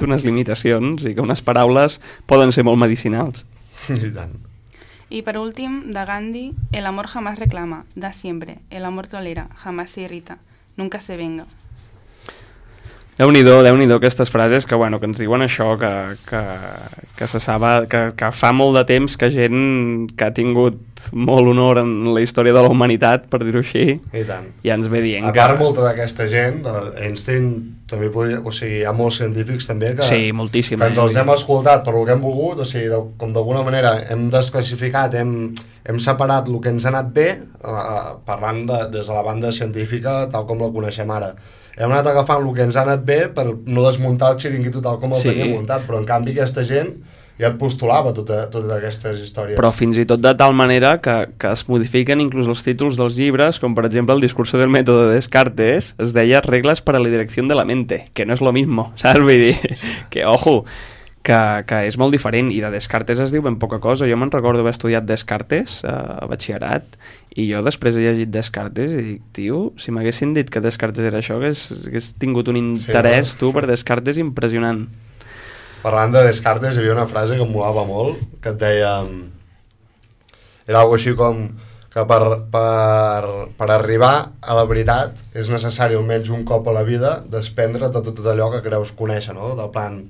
unes limitacions i que unes paraules poden ser molt medicinals. I tant. Y por último, de Gandhi: el amor jamás reclama, da siempre. El amor tolera, jamás se irrita, nunca se venga. Déu-n'hi-do aquestes frases que ens diuen això, que se sap, que fa molt de temps que gent que ha tingut molt honor en la història de la humanitat, per dir-ho així, i tant. Ja ens ve dient a part, molta d'aquesta gent, Einstein també podria, o sigui, hi ha molts científics també que, sí, moltíssim, que ens els hem escoltat per lo que hem volgut, o sigui, com d'alguna manera hem desclassificat, hem separat el que ens ha anat bé, parlant des de la banda científica tal com la coneixem ara. Hem anat agafant el que ens ha anat bé per no desmuntar el xiringuito tal com el teníem muntat, però en canvi aquesta gent ja et postulava totes aquestes històries. Però fins i tot de tal manera que es modifiquen inclús els títols dels llibres, com per exemple el discurso del método de Descartes es deia reglas para la dirección de la mente, que no és lo mismo, saps? Vull dir, que ojo, que és molt diferent, i de Descartes es diu ben poca cosa. Jo me'n recordo haver estudiat Descartes a batxillerat, i jo després he llegit Descartes i dic, tio, si m'haguessin dit que Descartes era això, hagués tingut un interès, tu, per Descartes impressionant. Parlant de Descartes, hi havia una frase que em molava molt, que et deia... Era algo així com que per arribar a la veritat és necessari almenys un cop a la vida desprendre tot allò que creus conèixer, no? Del plan,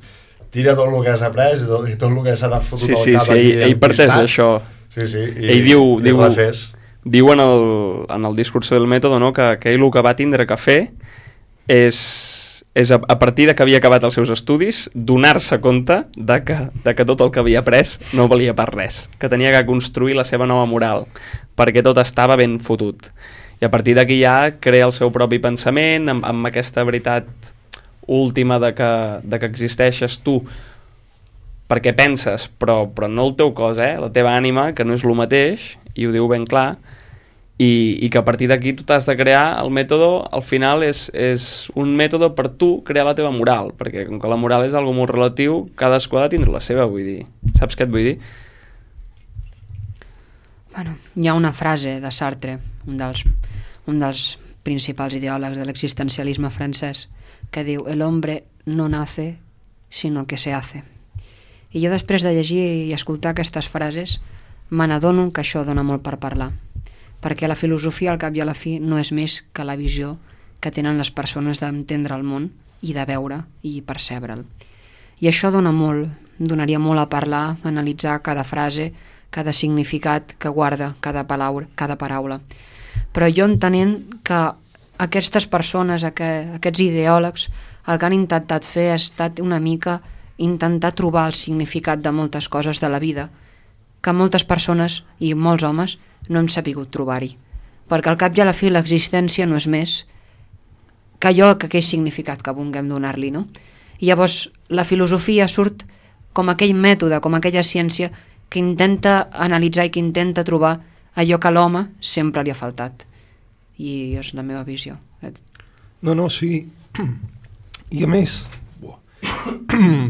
tira tot el que has après i tot el que s'ha de fotre al cap aquí ell parteix d'això. Sí, i ell diu en el discurso del mètode, no, que ell el que va tindre que fer és a partir de que havia acabat els seus estudis, donar-se compte de que tot el que havia après no valia per res, que tenia que construir la seva nova moral, perquè tot estava ben fotut. I a partir d'aquí ja crea el seu propi pensament, amb aquesta veritat última de que existeixes tu perquè penses, però no el teu cos, la teva ànima, que no és el mateix, i ho diu ben clar, i que a partir d'aquí tu t'has de crear el mètode. Al final és un mètode per tu crear la teva moral, perquè com que la moral és algo molt relatiu, cadascú ha de tindre la seva, vull dir. Saps què et vull dir? Bueno, hi ha una frase de Sartre, un dels principals ideòlegs de l'existencialisme francès, que diu: el hombre no nace sino que se hace. I jo després de llegir i escoltar aquestes frases me n'adono que això dona molt per parlar, perquè la filosofia al cap i a la fi no és més que la visió que tenen les persones d'entendre el món i de veure i percebre'l. I això donaria molt a parlar, a analitzar cada frase, cada significat que guarda cada paraula. Però jo entenent que aquestes persones, aquests ideòlegs, el que han intentat fer ha estat una mica intentar trobar el significat de moltes coses de la vida, que moltes persones i molts homes no hem sapigut trobar-hi. Perquè al cap i a la fi l'existència no és més que allò, que aquell significat que vulguem donar-li, no? I llavors la filosofia surt com aquell mètode, com aquella ciència que intenta analitzar i que intenta trobar allò que a l'home sempre li ha faltat. I és la meva visió. No, sí. I a més...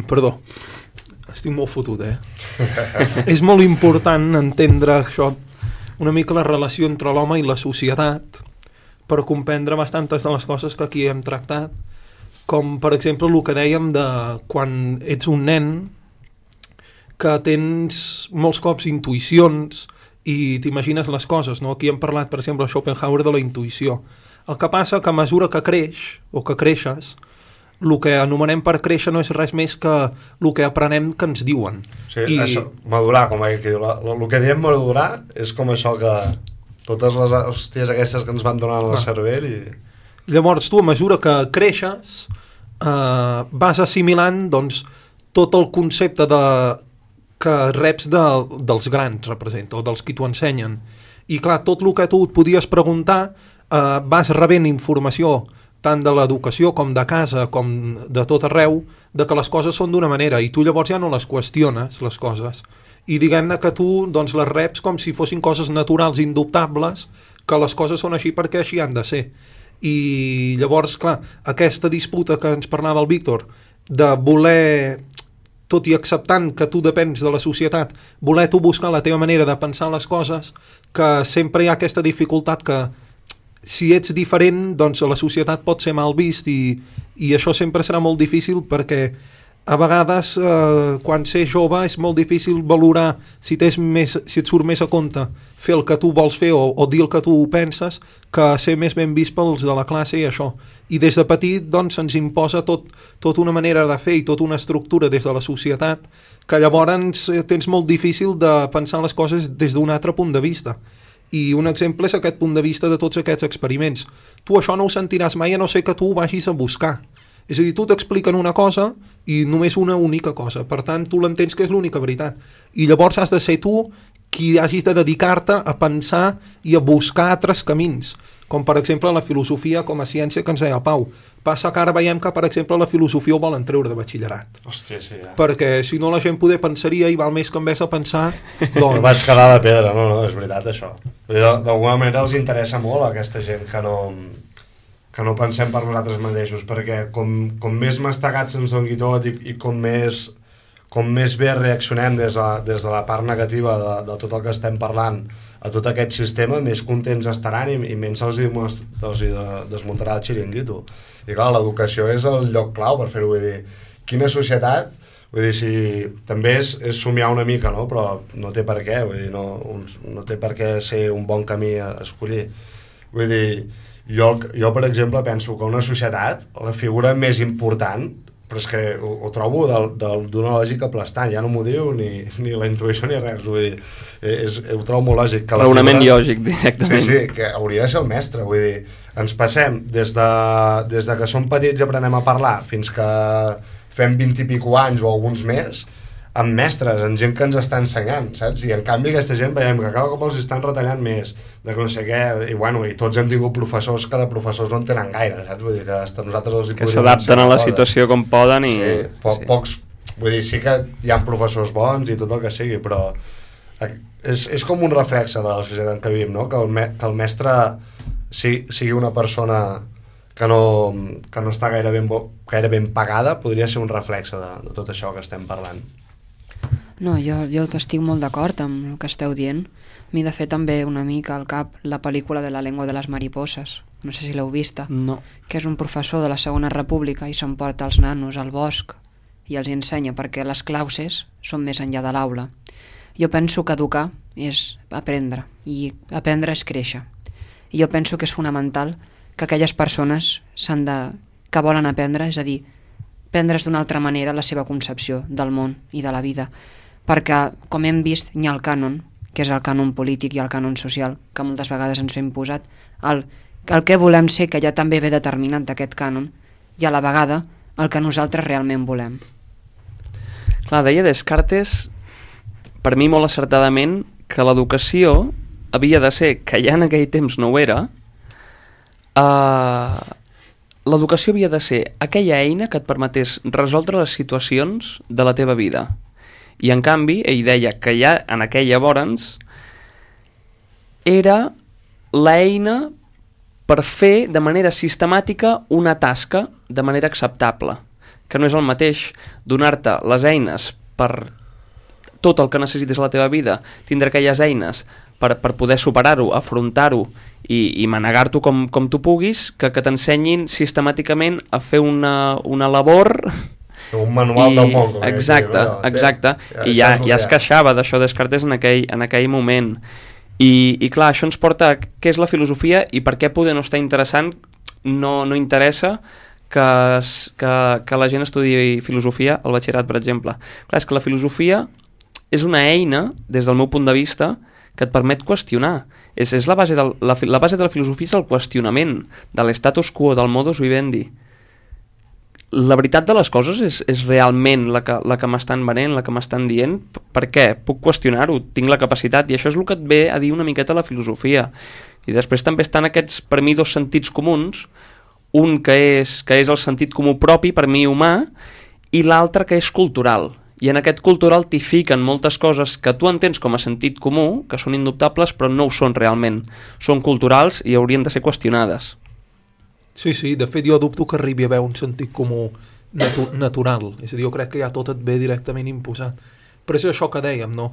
Perdó, estic molt fotut, És molt important entendre això, una mica la relació entre l'home i la societat per comprendre bastantes de les coses que aquí hem tractat, com per exemple el que dèiem de quan ets un nen que tens molts cops intuïcions i t'imagines les coses, no? Aquí hem parlat, per exemple, a Schopenhauer de la intuïció. El que passa que a mesura que creix o que creixes, el que anomenem per créixer no és res més que el que aprenem que ens diuen. Sí, això, madurar, com aquí diu. El que diem madurar és com això que totes les hòsties aquestes que ens van donant al cervell i... Llavors tu, a mesura que creixes, vas assimilant doncs, tot el concepte que reps dels grans, representa, o dels qui t'ho ensenyen. I clar, tot el que tu et podies preguntar, vas rebent informació tant de l'educació com de casa, com de tot arreu, de que les coses són d'una manera, i tu llavors ja no les qüestiones, les coses. I diguem-ne que tu doncs, les reps com si fossin coses naturals, indubtables, que les coses són així perquè així han de ser. I llavors, clar, aquesta disputa que ens parlava el Víctor, de voler, tot i acceptant que tu depens de la societat, voler tu buscar la teva manera de pensar les coses, que sempre hi ha aquesta dificultat que si ets diferent, doncs la societat pot ser mal vist i això sempre serà molt difícil perquè a vegades quan ser jove és molt difícil valorar si et surt més a compte fer el que tu vols fer o dir el que tu penses que ser més ben vist pels de la classe i això. I des de petit doncs se'ns imposa tot una manera de fer i tota una estructura des de la societat que llavors tens molt difícil de pensar les coses des d'un altre punt de vista. I un exemple és aquest punt de vista de tots aquests experiments. Tu això no ho sentiràs mai a no ser que tu ho vagis a buscar. És a dir, tu t'expliquen una cosa i només una única cosa. Per tant, tu l'entens que és l'única veritat. I llavors has de ser tu qui hagis de dedicar-te a pensar i a buscar altres camins. Com per exemple la filosofia com a ciència que ens deia el Pau. Passa que ara veiem que per exemple la filosofia ho volen treure de batxillerat. Hòstia, sí, ja. Perquè si no la gent poder pensaria i val més que en vez de pensar doncs... No vaig quedar de pedra, no, és veritat això. D'alguna manera els interessa molt a aquesta gent que no pensem per nosaltres mateixos, perquè com més mastegats ens doni tot i com més bé reaccionem des de la part negativa de tot el que estem parlant a tot aquest sistema, més contents estaran i menys se'ls desmuntarà el xiringuito. I clar, l'educació és el lloc clau per fer-ho, vull dir, quina societat, vull dir, si també és somiar una mica, no? Però no té per què, vull dir, no té per què ser un bon camí a escollir. Vull dir, jo per exemple penso que una societat, la figura més important, però és que ho trobo d'una lògica aplastant, ja no m'ho diu ni la intuïció ni res, vull dir, ho trobo molt lògic. Raonament lògic, directament. Sí, que hauria de ser el mestre, vull dir, ens passem des de que som petits i aprenem a parlar fins que fem 20 i pico anys o alguns més, amb mestres, amb gent que ens està ensenyant, saps? I en canvi aquesta gent veiem que cada cop els estan retallant més, de que no sé què, i tots hem tingut professors que de professors no en tenen gaire, saps? Vull dir que nosaltres els hi que s'adapten a la situació com poden i... Sí, pocs, vull dir, sí que hi ha professors bons i tot el que sigui, però és com un reflexe de la societat en què vivim, no? Que el mestre sigui una persona que no està gaire ben pagada, podria ser un reflexe de tot això que estem parlant. No, jo estic molt d'acord amb el que esteu dient. M'hi de fer també una mica al cap la pel·lícula de La lengua de les mariposas. No sé si l'heu vista. No. Que és un professor de la Segona República i s'emporta els nanos al bosc i els ensenya perquè les clauses són més enllà de l'aula. Jo penso que educar és aprendre i aprendre és créixer. I jo penso que és fonamental que aquelles persones que volen aprendre, és a dir, prendre's d'una altra manera la seva concepció del món i de la vida. Perquè, com hem vist, hi ha el cànon, que és el cànon polític i el cànon social, que moltes vegades ens hem posat, el que volem ser, que ja també ve determinat d'aquest cànon, i a la vegada el que nosaltres realment volem. Clar, deia Descartes, per mi molt acertadament, que l'educació havia de ser, que ja en aquell temps no ho era, l'educació havia de ser aquella eina que et permetés resoldre les situacions de la teva vida. I en canvi, ell deia que ja en aquell llavors era l'eina per fer de manera sistemàtica una tasca de manera acceptable, que no és el mateix donar-te les eines per tot el que necessites a la teva vida, tindre aquelles eines per poder superar-ho, afrontar-ho i manegar-t'ho com tu puguis, que t'ensenyin sistemàticament a fer una labor... Un manual del món. Exacte. I ja es queixava d'això Descartes en aquell moment. I clar, això ens porta a què és la filosofia i per què poder no estar interessant, no interessa que la gent estudiï filosofia al batxillerat, per exemple. Clar, és que la filosofia és una eina, des del meu punt de vista, que et permet qüestionar. És la base de la filosofia és el qüestionament de l'status quo, del modus vivendi. La veritat de les coses és realment la que m'estan venent, la que m'estan dient. Per què? Puc qüestionar-ho, tinc la capacitat, i això és el que et ve a dir una miqueta la filosofia. I després també estan aquests, per mi, dos sentits comuns, un que és el sentit comú propi, per mi humà, i l'altre que és cultural. I en aquest cultural t'hi fiquen moltes coses que tu entens com a sentit comú, que són indubtables, però no ho són realment. Són culturals i haurien de ser qüestionades. Sí, de fet jo dubto que arribi a haver un sentit comú natural, és a dir, jo crec que ja tot et ve directament imposat. Però és això que dèiem, no?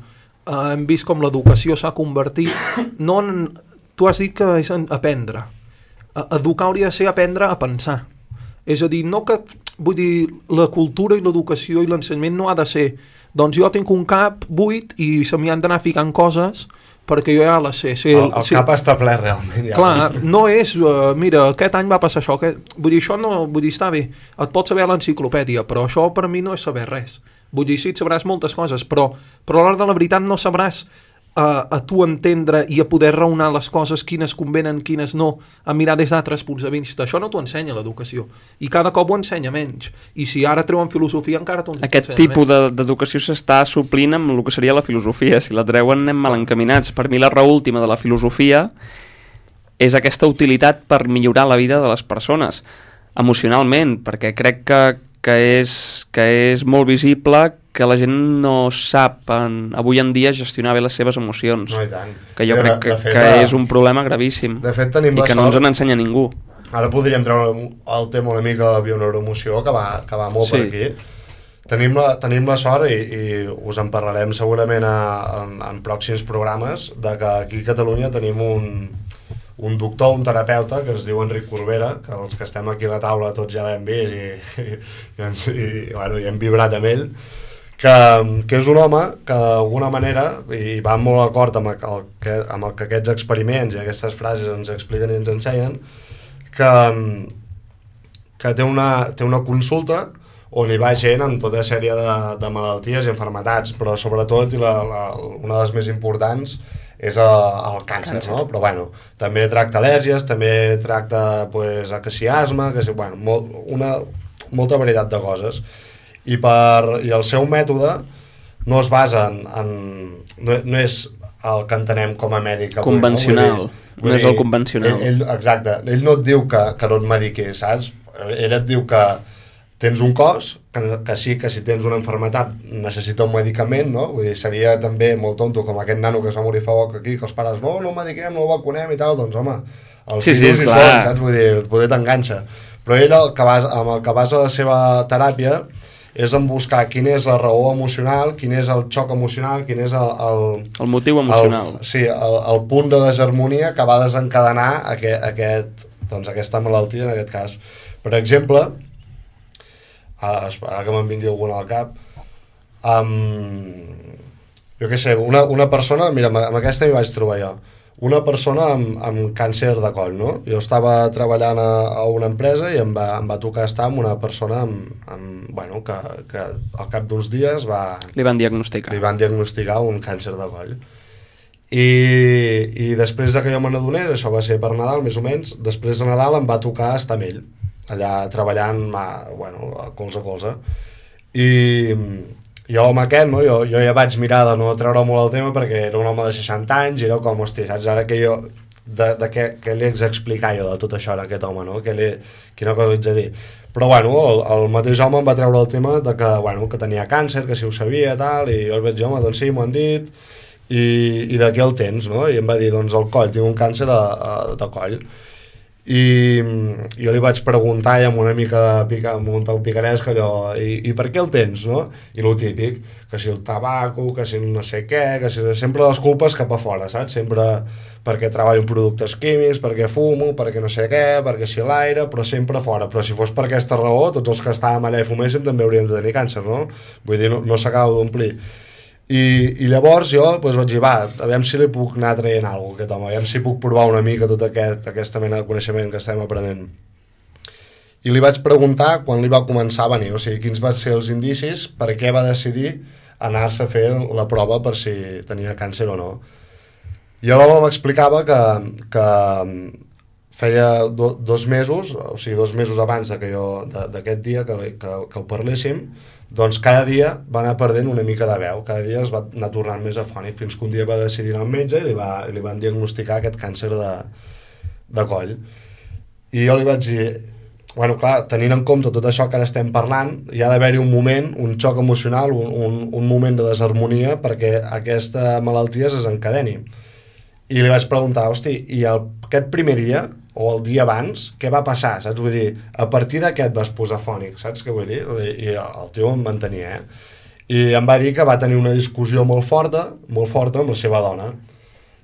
Hem vist com l'educació s'ha convertit, no en... Tu has dit que és aprendre. Educar hauria de ser aprendre a pensar. És a dir, no que... Vull dir, la cultura i l'educació i l'ensenyament no ha de ser... Doncs jo tinc un cap buit i se m'hi han d'anar ficant coses perquè jo ja la sé. El cap està ple realment. Ja. Clar, no és, mira, aquest any va passar això, vull dir, això no, vull dir, està bé, et pots saber a l'enciclopèdia, però això per mi no és saber res. Vull dir, sí, et sabràs moltes coses, però a l'hora de la veritat no sabràs a tu entendre i a poder raonar les coses, quines convenen, quines no, a mirar des d'altres punts de vista. Això no t'ho ensenya l'educació. I cada cop ho ensenya menys. I si ara treuen filosofia encara t'ho ensenya menys. Aquest tipus d'educació s'està suplint amb el que seria la filosofia. Si la treuen anem mal encaminats. Per mi la raó última de la filosofia és aquesta utilitat per millorar la vida de les persones. Emocionalment, perquè crec que és molt visible que la gent no sap avui en dia gestionar bé les seves emocions. No, i tant. Que jo crec que és un problema gravíssim. De fet, tenim i que no ens n'ensenya ningú. Ara podríem treure el tema una mica de la bioneuroemoció, que va molt per aquí. Tenim la sort, i us en parlarem segurament en pròxims programes, de que aquí a Catalunya tenim un doctor, un terapeuta, que es diu Enric Corbera, que els que estem aquí a la taula tots ja l'hem vist i hem vibrat amb ell, que és un home que d'alguna manera, i va molt d'acord amb el que aquests experiments i aquestes frases ens expliquen i ens ensenyen, que té una consulta on hi va gent amb tota sèrie de malalties i enfermetats, però sobretot, i una de les més importants, és el càncer, no? Però bueno, també tracta al·lèrgies, també tracta acaciasme, molta varietat de coses. I el seu mètode no es basa no és el que entenem com a mèdic avui, convencional, no és el convencional. Exacte, ell no et diu que no et mediquis, saps? Ell et diu que tens un cos, que sí, que si tens una enfermetat necessita un medicament, no? Vull dir, seria també molt tonto com aquest nano que es va morir fa poc aquí, que els pares no mediquem, no el vacunem i tal, doncs home, els fills hi són, saps? Vull dir, poder t'enganxa. Però ell amb el que basa la seva teràpia és en buscar quina és la raó emocional, quin és el xoc emocional, quin és el motiu emocional. El punt de desharmonia que va desencadenar aquesta malaltia, en aquest cas. Per exemple, ara que me'n vingui alguna al cap, jo què sé, una persona, mira, amb aquesta m'hi vaig trobar jo, una persona amb càncer de coll, no? Jo estava treballant a una empresa i em va tocar estar amb una persona que al cap d'uns dies li van diagnosticar un càncer de coll. I després que jo me n'adonés, això va ser per Nadal més o menys, després de Nadal em va tocar estar amb ell, allà treballant colze a colze. I l'home aquest, no? Jo ja vaig mirar de no treure molt el tema perquè era un home de 60 anys i era com, hòstia, saps? Ara que jo, què li haig d'explicar jo de tot això a aquest home, no? Quina cosa haig de dir? Però bueno, el mateix home em va treure el tema de que tenia càncer, que si ho sabia, tal, i jo el vaig dir, home, doncs sí, m'ho han dit, i de què el tens, no? I em va dir, doncs el coll, tinc un càncer de coll. i jo li vaig preguntar i amb una mica amb un toc picaresc allò, i per què el tens, no? I lo típic, que si el tabaco, que si no sé què, que si sempre les culpes cap a fora, saps? Sempre perquè treballo en productes químics, perquè fumo, perquè no sé què, perquè si l'aire, però sempre fora. Però si fos per aquesta raó, tots els que estàvem allà i fuméssim també hauríem de tenir càncer, no? Vull dir, no s'acaba d'omplir. I llavors jo vaig dir, aviam si li puc anar traient alguna cosa, aquest home, aviam si puc provar una mica tota aquesta mena de coneixement que estem aprenent. I li vaig preguntar quan li va començar a venir, o sigui, quins van ser els indicis, per què va decidir anar-se a fer la prova per si tenia càncer o no. I l'home m'explicava que feia 2 mesos, o sigui, 2 mesos abans d'aquest dia que ho parléssim, doncs cada dia va anar perdent una mica de veu, cada dia es va anar tornant més afònic, fins que un dia va decidir anar al metge i li van diagnosticar aquest càncer de coll. I jo li vaig dir, bueno, clar, tenint en compte tot això que ara estem parlant, hi ha d'haver-hi un moment, un xoc emocional, un moment de desharmonia perquè aquesta malaltia es desencadeni. I li vaig preguntar, hosti, i aquest primer dia, o el dia abans, què va passar, saps? Vull dir, a partir de què et vas posar fònic, saps què vull dir? I el tio em mantenia, I em va dir que va tenir una discussió molt forta amb la seva dona.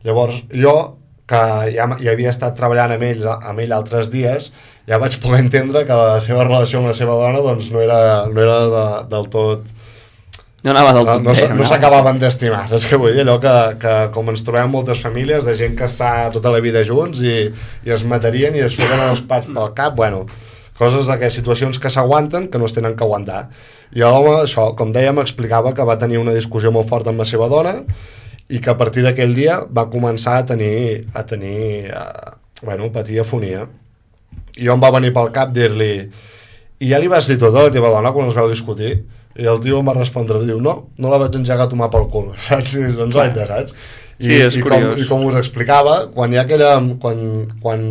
Llavors, jo, que ja havia estat treballant amb ell altres dies, ja vaig poder entendre que la seva relació amb la seva dona doncs no era del tot... No anava del tot bé. No s'acabaven d'estimar, saps què vull dir? Allò que com ens trobem moltes famílies de gent que està tota la vida junts i es matarien i es fiquen els pats pel cap, bueno, coses situacions que s'aguanten que no es tenen que aguantar. I l'home, això, com deia, m'explicava que va tenir una discussió molt forta amb la seva dona i que a partir d'aquell dia va començar a patir afonia. I jo em va venir pel cap dir-li, i ja li vas dir tot a la teva dona quan els vau discutir? I el tio em va respondre, diu, no la vaig engegar a tomar pel cul, saps? Doncs saps? Sí, és curiós. I com us explicava, quan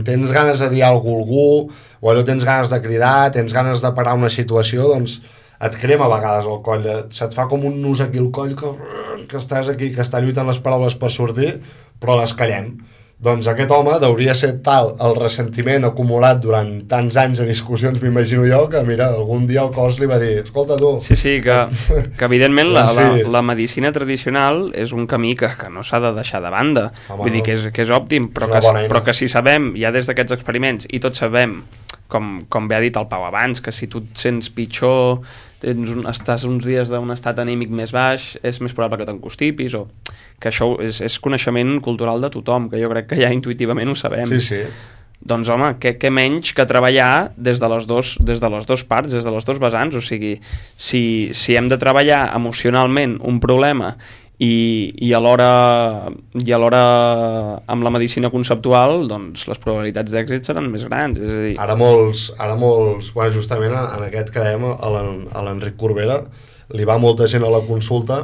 tens ganes de dir alguna cosa a algú, o allò tens ganes de cridar, tens ganes de parar una situació, doncs et crema a vegades el coll, se't fa com un nus aquí al coll que estàs aquí, que està lluitant les paraules per sortir, però les callem. Doncs aquest home deuria ser tal el ressentiment acumulat durant tants anys de discussions, m'imagino jo, que mira, algun dia el cos li va dir, escolta tu... Sí, que evidentment la medicina tradicional és un camí que no s'ha de deixar de banda. Home, vull dir que és òptim, però que si sabem, ja des d'aquests experiments, i tots sabem, com bé ha dit el Pau abans, que si tu et sents pitjor, estàs uns dies d'un estat anímic més baix, és més probable que t'encostipis, o que això és coneixement cultural de tothom, que jo crec que ja intuïtivament ho sabem. Sí. Doncs home, què menys que treballar des de les dues parts, des de les dos vessants, o sigui, si hem de treballar emocionalment un problema i alhora amb la medicina conceptual, doncs les probabilitats d'èxit seran més grans, és a dir... Ara molts, bueno, justament en aquest que dèiem, a l'Enric Corbera, li va molta gent a la consulta.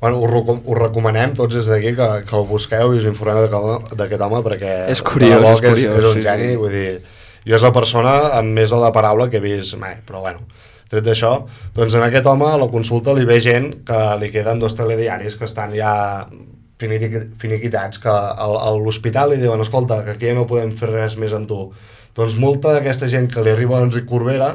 Bueno, us recomanem tots des d'aquí que el busqueu i us informeu d'aquest home, perquè és curiós, és un geni, vull dir, jo és la persona amb més de la paraula que he vist mai, però bueno, tret d'això, doncs en aquest home a la consulta li ve gent que li queden 2 telediaris que estan ja finiquitats, que a l'hospital li diuen, escolta, que aquí ja no podem fer res més amb tu. Doncs molta d'aquesta gent que li arriba a Enric Corbera,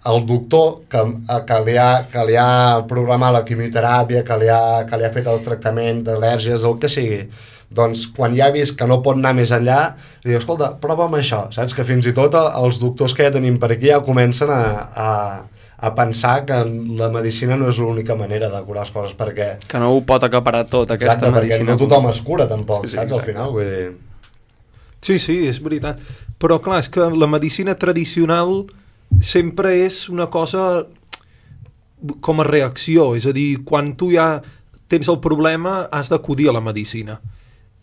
el doctor que li ha programat la quimioteràpia, que li ha fet el tractament d'al·lèrgies, el que sigui, doncs quan ja ha vist que no pot anar més enllà, li diu, escolta, prova amb això, saps? Que fins i tot els doctors que ja tenim per aquí ja comencen a pensar que la medicina no és l'única manera de curar les coses, perquè... Que no ho pot acaparar tot, aquesta medicina. Perquè no tothom es cura, tampoc, sí, saps? Al final, vull dir... Sí, és veritat. Però, clar, és que la medicina tradicional sempre és una cosa com a reacció, és a dir, quan tu ja tens el problema has d'acudir a la medicina.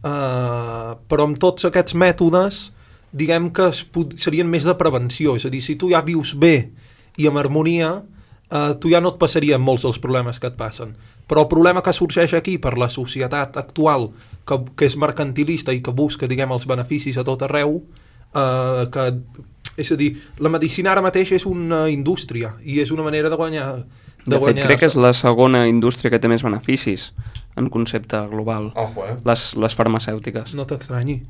Però amb tots aquests mètodes, diguem que serien més de prevenció, és a dir, si tu ja vius bé i amb harmonia, tu ja no et passarien molts dels problemes que et passen. Però el problema que sorgeix aquí per la societat actual, que és mercantilista i que busca, diguem, els beneficis a tot arreu, és a dir, la medicina ara mateix és una indústria i és una manera de guanyar... De fet, crec que és la segona indústria que té més beneficis en concepte global. Ojo, les farmacèutiques. No t'estranyi.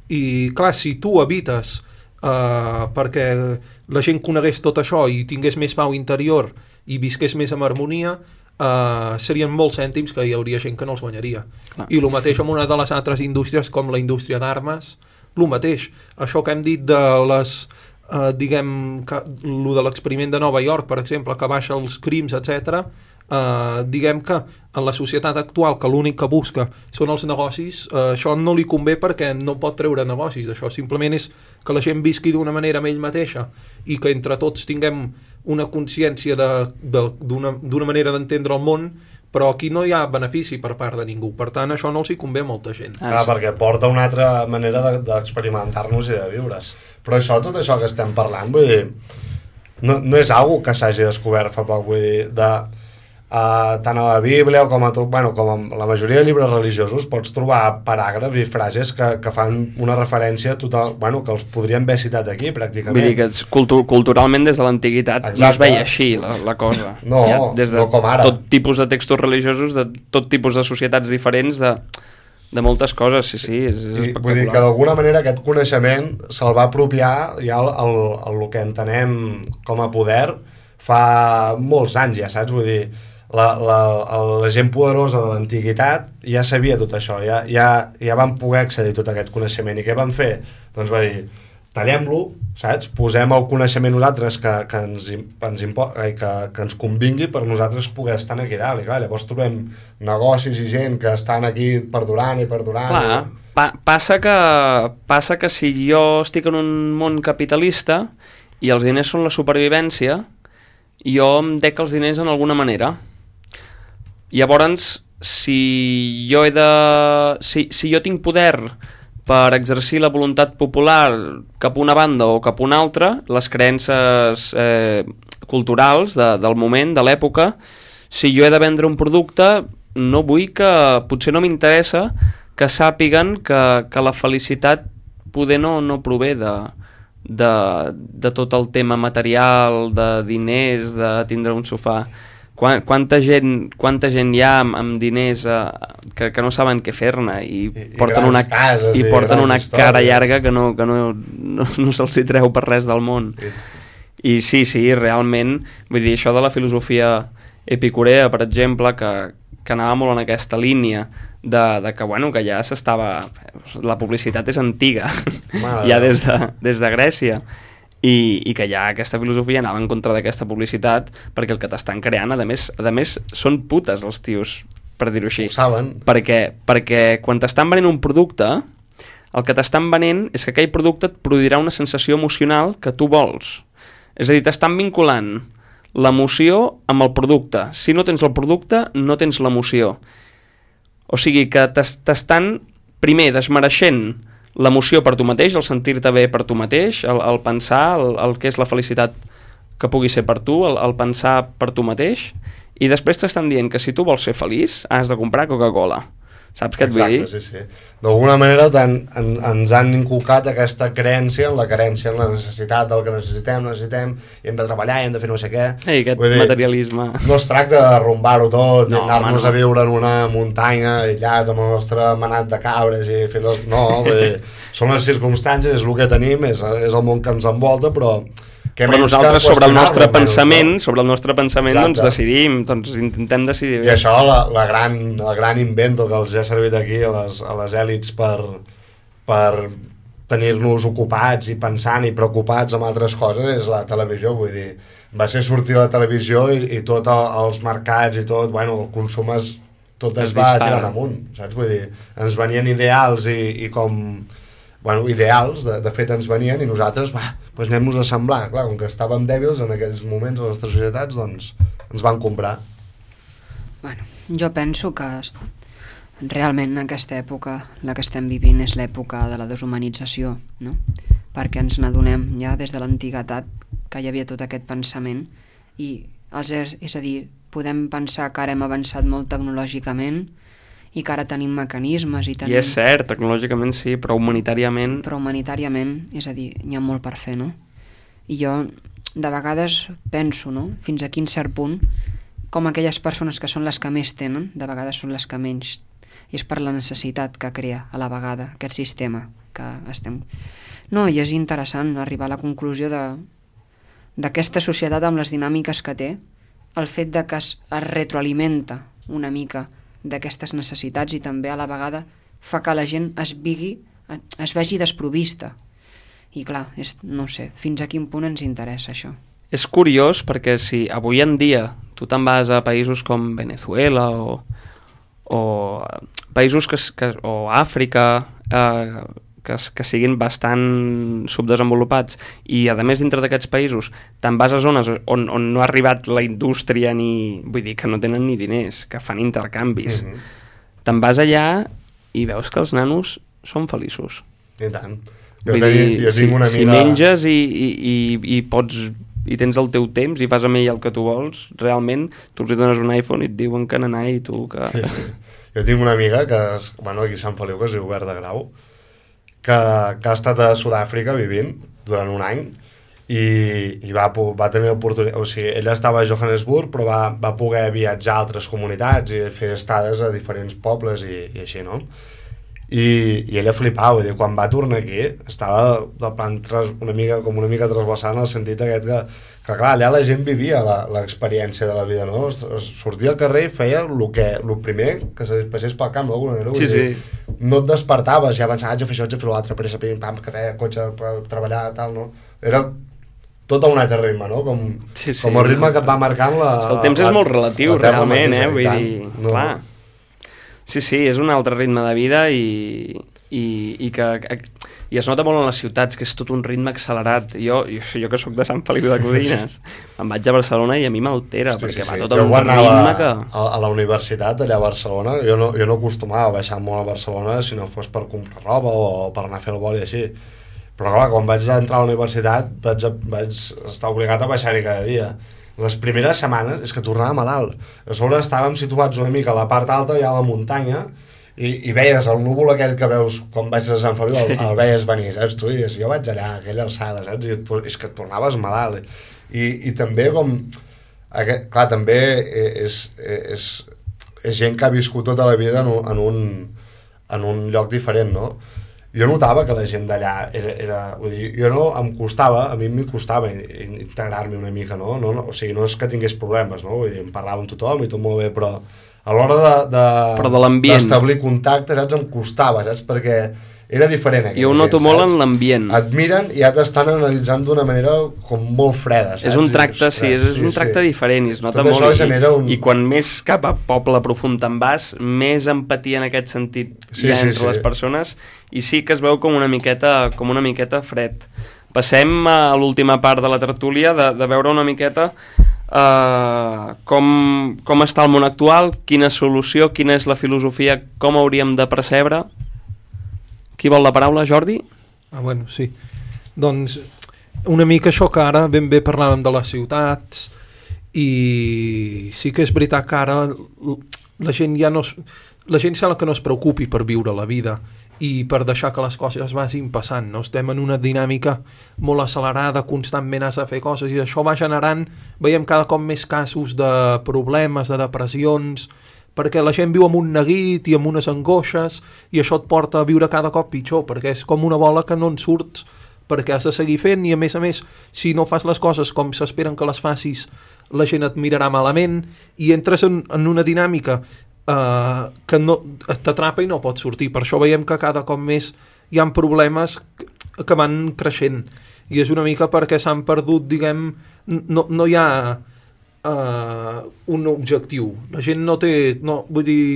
I, clar, si tu evites perquè la gent conegués tot això i tingués més pau interior i visqués més amb harmonia, serien molts cèntims que hi hauria gent que no els guanyaria. Clar. I el mateix amb una de les altres indústries com la indústria d'armes, el mateix. Això que hem dit de les diguem, lo de l'experiment de Nova York, per exemple, que baixa els crims, etc. Diguem que en la societat actual, que l'únic que busca són els negocis, això no li convé perquè no pot treure negocis d'això, simplement és que la gent visqui d'una manera amb ell mateixa i que entre tots tinguem una consciència d'una manera d'entendre el món, però aquí no hi ha benefici per part de ningú, per tant això no els hi convé a molta gent. Perquè porta una altra manera d'experimentar-nos i de viure's. Però això, tot això que estem parlant, vull dir, no és algo que s'hagi descobert fa poc, vull dir, tant a la Bíblia com a tot, bueno, com a la majoria de llibres religiosos pots trobar paràgrafs i frases que fan una referència total, bueno, que els podríem haver citat aquí pràcticament. Vull dir que culturalment des de l'antiguitat no es veia així la cosa. No, ja, des de com ara. Tot tipus de textos religiosos, de tot tipus de societats diferents, de moltes coses, sí, és espectacular. Vull dir que d'alguna manera aquest coneixement se'l va apropiar ja el que entenem com a poder fa molts anys ja, saps? Vull dir, la gent poderosa de l'antiguitat ja sabia tot això, ja van poder accedir a tot aquest coneixement. I què van fer? Doncs va dir, tallem-lo, saps? Posem el coneixement nosaltres que ens convingui per nosaltres poder estar aquí dalt. I clar, llavors trobem negocis i gent que estan aquí perdurant i perdurant. Clar, passa que si jo estic en un món capitalista i els diners són la supervivència, jo em dec els diners en alguna manera. Llavors, si jo tinc poder per exercir la voluntat popular cap a una banda o cap a una altra, les creences culturals del moment, de l'època, si jo he de vendre un producte, no vull que, potser no m'interessa que sàpiguen que la felicitat poder no prové de tot el tema material, de diners, de tindre un sofà. Quanta gent hi ha amb diners que no saben què fer-ne i porten una cara llarga que no se'ls hi treu per res del món. I sí, realment, vull dir, això de la filosofia epicurea, per exemple, que anava molt en aquesta línia de que, bueno, que ja s'estava... La publicitat és antiga, ja des de Grècia, i que ja aquesta filosofia anava en contra d'aquesta publicitat perquè el que t'estan creant, a més són putes els tios, per dir-ho així. Ho saben. Perquè quan t'estan venent un producte, el que t'estan venent és que aquell producte et produirà una sensació emocional que tu vols. És a dir, t'estan vinculant l'emoció amb el producte. Si no tens el producte, no tens l'emoció. O sigui que t'estan, primer, desmereixent l'emoció per tu mateix, el sentir-te bé per tu mateix, el pensar, el que és la felicitat que pugui ser per tu, el pensar per tu mateix, i després t'estan dient que si tu vols ser feliç has de comprar Coca-Cola. Saps què et vull dir? Exacte, sí. D'alguna manera ens han inculcat aquesta creença en la necessitat del que necessitem, i hem de treballar, i hem de fer no sé què. Aquest materialisme. No es tracta de derrumbar-ho tot, i anar-nos a viure en una muntanya aïllats amb el nostre manat de cabres i fer no, vull dir, són les circumstàncies, és el que tenim, és el món que ens envolta, però nosaltres sobre el nostre pensament, doncs decidim, doncs intentem decidir bé. I això, el gran invento que els ha servit aquí a les èlits per tenir-nos ocupats i pensant i preocupats amb altres coses és la televisió. Vull dir, va ser sortir a la televisió i tots els mercats i tot, bueno, el consum tot es va tirant amunt, saps? Vull dir, ens venien ideals i com... Bueno, ideals, de fet ens venien i nosaltres, doncs anem-nos a semblar. Clar, com que estàvem dèbils en aquells moments a les nostres societats, doncs ens van comprar. Bueno, jo penso que realment en aquesta època, la que estem vivint, és l'època de la deshumanització, no? Perquè ens n'adonem ja des de l'antiguitat que hi havia tot aquest pensament i, és a dir, podem pensar que ara hem avançat molt tecnològicament i que ara tenim mecanismes i tenim... I és cert, tecnològicament sí, però humanitàriament... Però humanitàriament, és a dir, hi ha molt per fer, no? I jo de vegades penso, no?, fins a quin cert punt, com aquelles persones que són les que més tenen, de vegades són les que menys. I és per la necessitat que crea a la vegada aquest sistema que estem... No, i és interessant arribar a la conclusió d'aquesta societat amb les dinàmiques que té, el fet de que es retroalimenta una mica d'aquestes necessitats i també a la vegada fa que la gent es vegi desprovista. I clar, no sé, fins a quin punt ens interessa això. És curiós perquè si avui en dia tu te'n vas a països com Venezuela o països o Àfrica que siguin bastant subdesenvolupats i a més dintre d'aquests països te'n vas a zones on no ha arribat la indústria vull dir que no tenen ni diners, que fan intercanvis. Te'n vas allà i veus que els nanos són feliços. I tant. Jo tinc una amiga... Si menges i pots i tens el teu temps i fas amb ell el que tu vols, realment tu els dones un iPhone i et diuen que n'anà i tu que... Sí. Jo tinc una amiga que aquí a Sant Feliu, que es diu Berta Grau, que ha estat a Sud-àfrica vivint durant un any i va tenir l'oportunitat, o sigui, ella estava a Johannesburg però va poder viatjar a altres comunitats i fer estades a diferents pobles i així, no? I ella flipava, quan va tornar aquí estava de plan una mica trasbalsant en el sentit aquest que clar, allà la gent vivia l'experiència de la vida, no? Sortia al carrer i feia el primer que se passés pel camp, d'alguna manera. Sí. No et despertaves, ja avançaves, haig de fer això, haig de fer l'altre, pressa, pim, pam, cafè, cotxe, per treballar, tal, no? Era tot a un altre ritme, no? Com el ritme que et va marcant el temps és molt relatiu, realment, vull dir, clar. Sí, és un altre ritme de vida i es nota molt en les ciutats, que és tot un ritme accelerat. Jo que sóc de Sant Feliu de Codines, em vaig a Barcelona i a mi m'altera, perquè va tot amb un ritme que... A la universitat, allà a Barcelona, jo no acostumava a baixar molt a Barcelona si no fos per comprar roba o per anar a fer el vol i així. Però clar, quan vaig entrar a la universitat vaig estar obligat a baixar-hi cada dia. Les primeres setmanes és que tornava malalt. A sobre estàvem situats una mica a la part alta, ja a la muntanya, i veies el núvol aquell que veus quan vaig a Sant Feliu, el veies venir, saps? Tu dius, jo vaig allà, a aquella alçada, saps? I és que et tornaves malalt. I també com... Clar, també és gent que ha viscut tota la vida en un lloc diferent, no? Jo notava que la gent d'allà vull dir, a mi m'hi costava integrar-me una mica, no? O sigui, no és que tingués problemes, no? Vull dir, em parlava amb tothom i tot molt bé, però a l'hora d'establir contacte, saps, em costava, saps? Perquè era diferent. Jo ho noto molt en l'ambient. Et miren i ja t'estan analitzant d'una manera com molt freda, saps? És un tracte, és un tracte diferent i es nota molt. I quan més cap a poble profund te'n vas, més empatia en aquest sentit hi ha entre les persones i sí que es veu com una miqueta fred. Passem a l'última part de la tertúlia de veure una miqueta com està el món actual, quina solució, quina és la filosofia, com hauríem de percebre. Qui vol la paraula, Jordi? Bueno, sí. Doncs una mica això que ara ben bé parlàvem de les ciutats i sí que és veritat que ara la gent sembla que no es preocupi per viure la vida i per deixar que les coses vagin passant, no? Estem en una dinàmica molt accelerada, constantment has de fer coses i això va generant, veiem cada cop més casos de problemes, de depressions, perquè la gent viu amb un neguit i amb unes angoixes i això et porta a viure cada cop pitjor, perquè és com una bola que no en surts perquè has de seguir fent i a més, si no fas les coses com s'esperen que les facis, la gent et mirarà malament i entres en una dinàmica que no t'atrapa i no pots sortir. Per això veiem que cada cop més hi ha problemes que van creixent i és una mica perquè s'han perdut, diguem, no hi ha un objectiu. La gent no té... vull dir,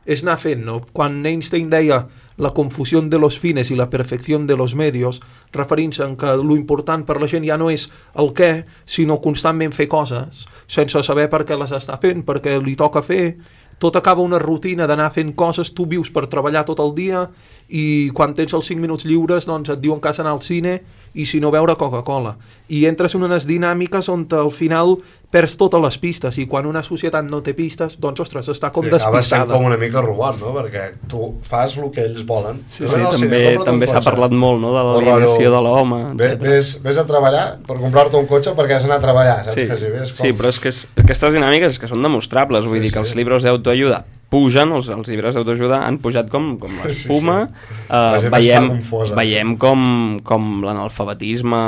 és anar fent, no? Quan Einstein deia la confusió de los fines i la perfecció de los medios, referint-se en que lo important per la gent ja no és el què, sinó constantment fer coses, sense saber per què les està fent, perquè li toca fer. Tot acaba una rutina d'anar fent coses, tu vius per treballar tot el dia i quan tens els 5 minuts lliures doncs et diuen que has d'anar al cine i si no beure Coca-Cola. I entres en unes dinàmiques on al final perds totes les pistes i quan una societat no té pistes, doncs, ostres, està com despistada. Acaba sent com una mica robot, no? Perquè tu fas el que ells volen. Sí, també s'ha parlat molt, no?, de l'alienació de l'home, etc. Ves a treballar per comprar-te un cotxe perquè has d'anar a treballar, saps? Sí, però és que aquestes dinàmiques que són demostrables, vull dir que els llibres d'autoajuda pugen, els llibres d'autoajuda han pujat com l'espuma. La gent està confosa. Veiem com l'analfabetisme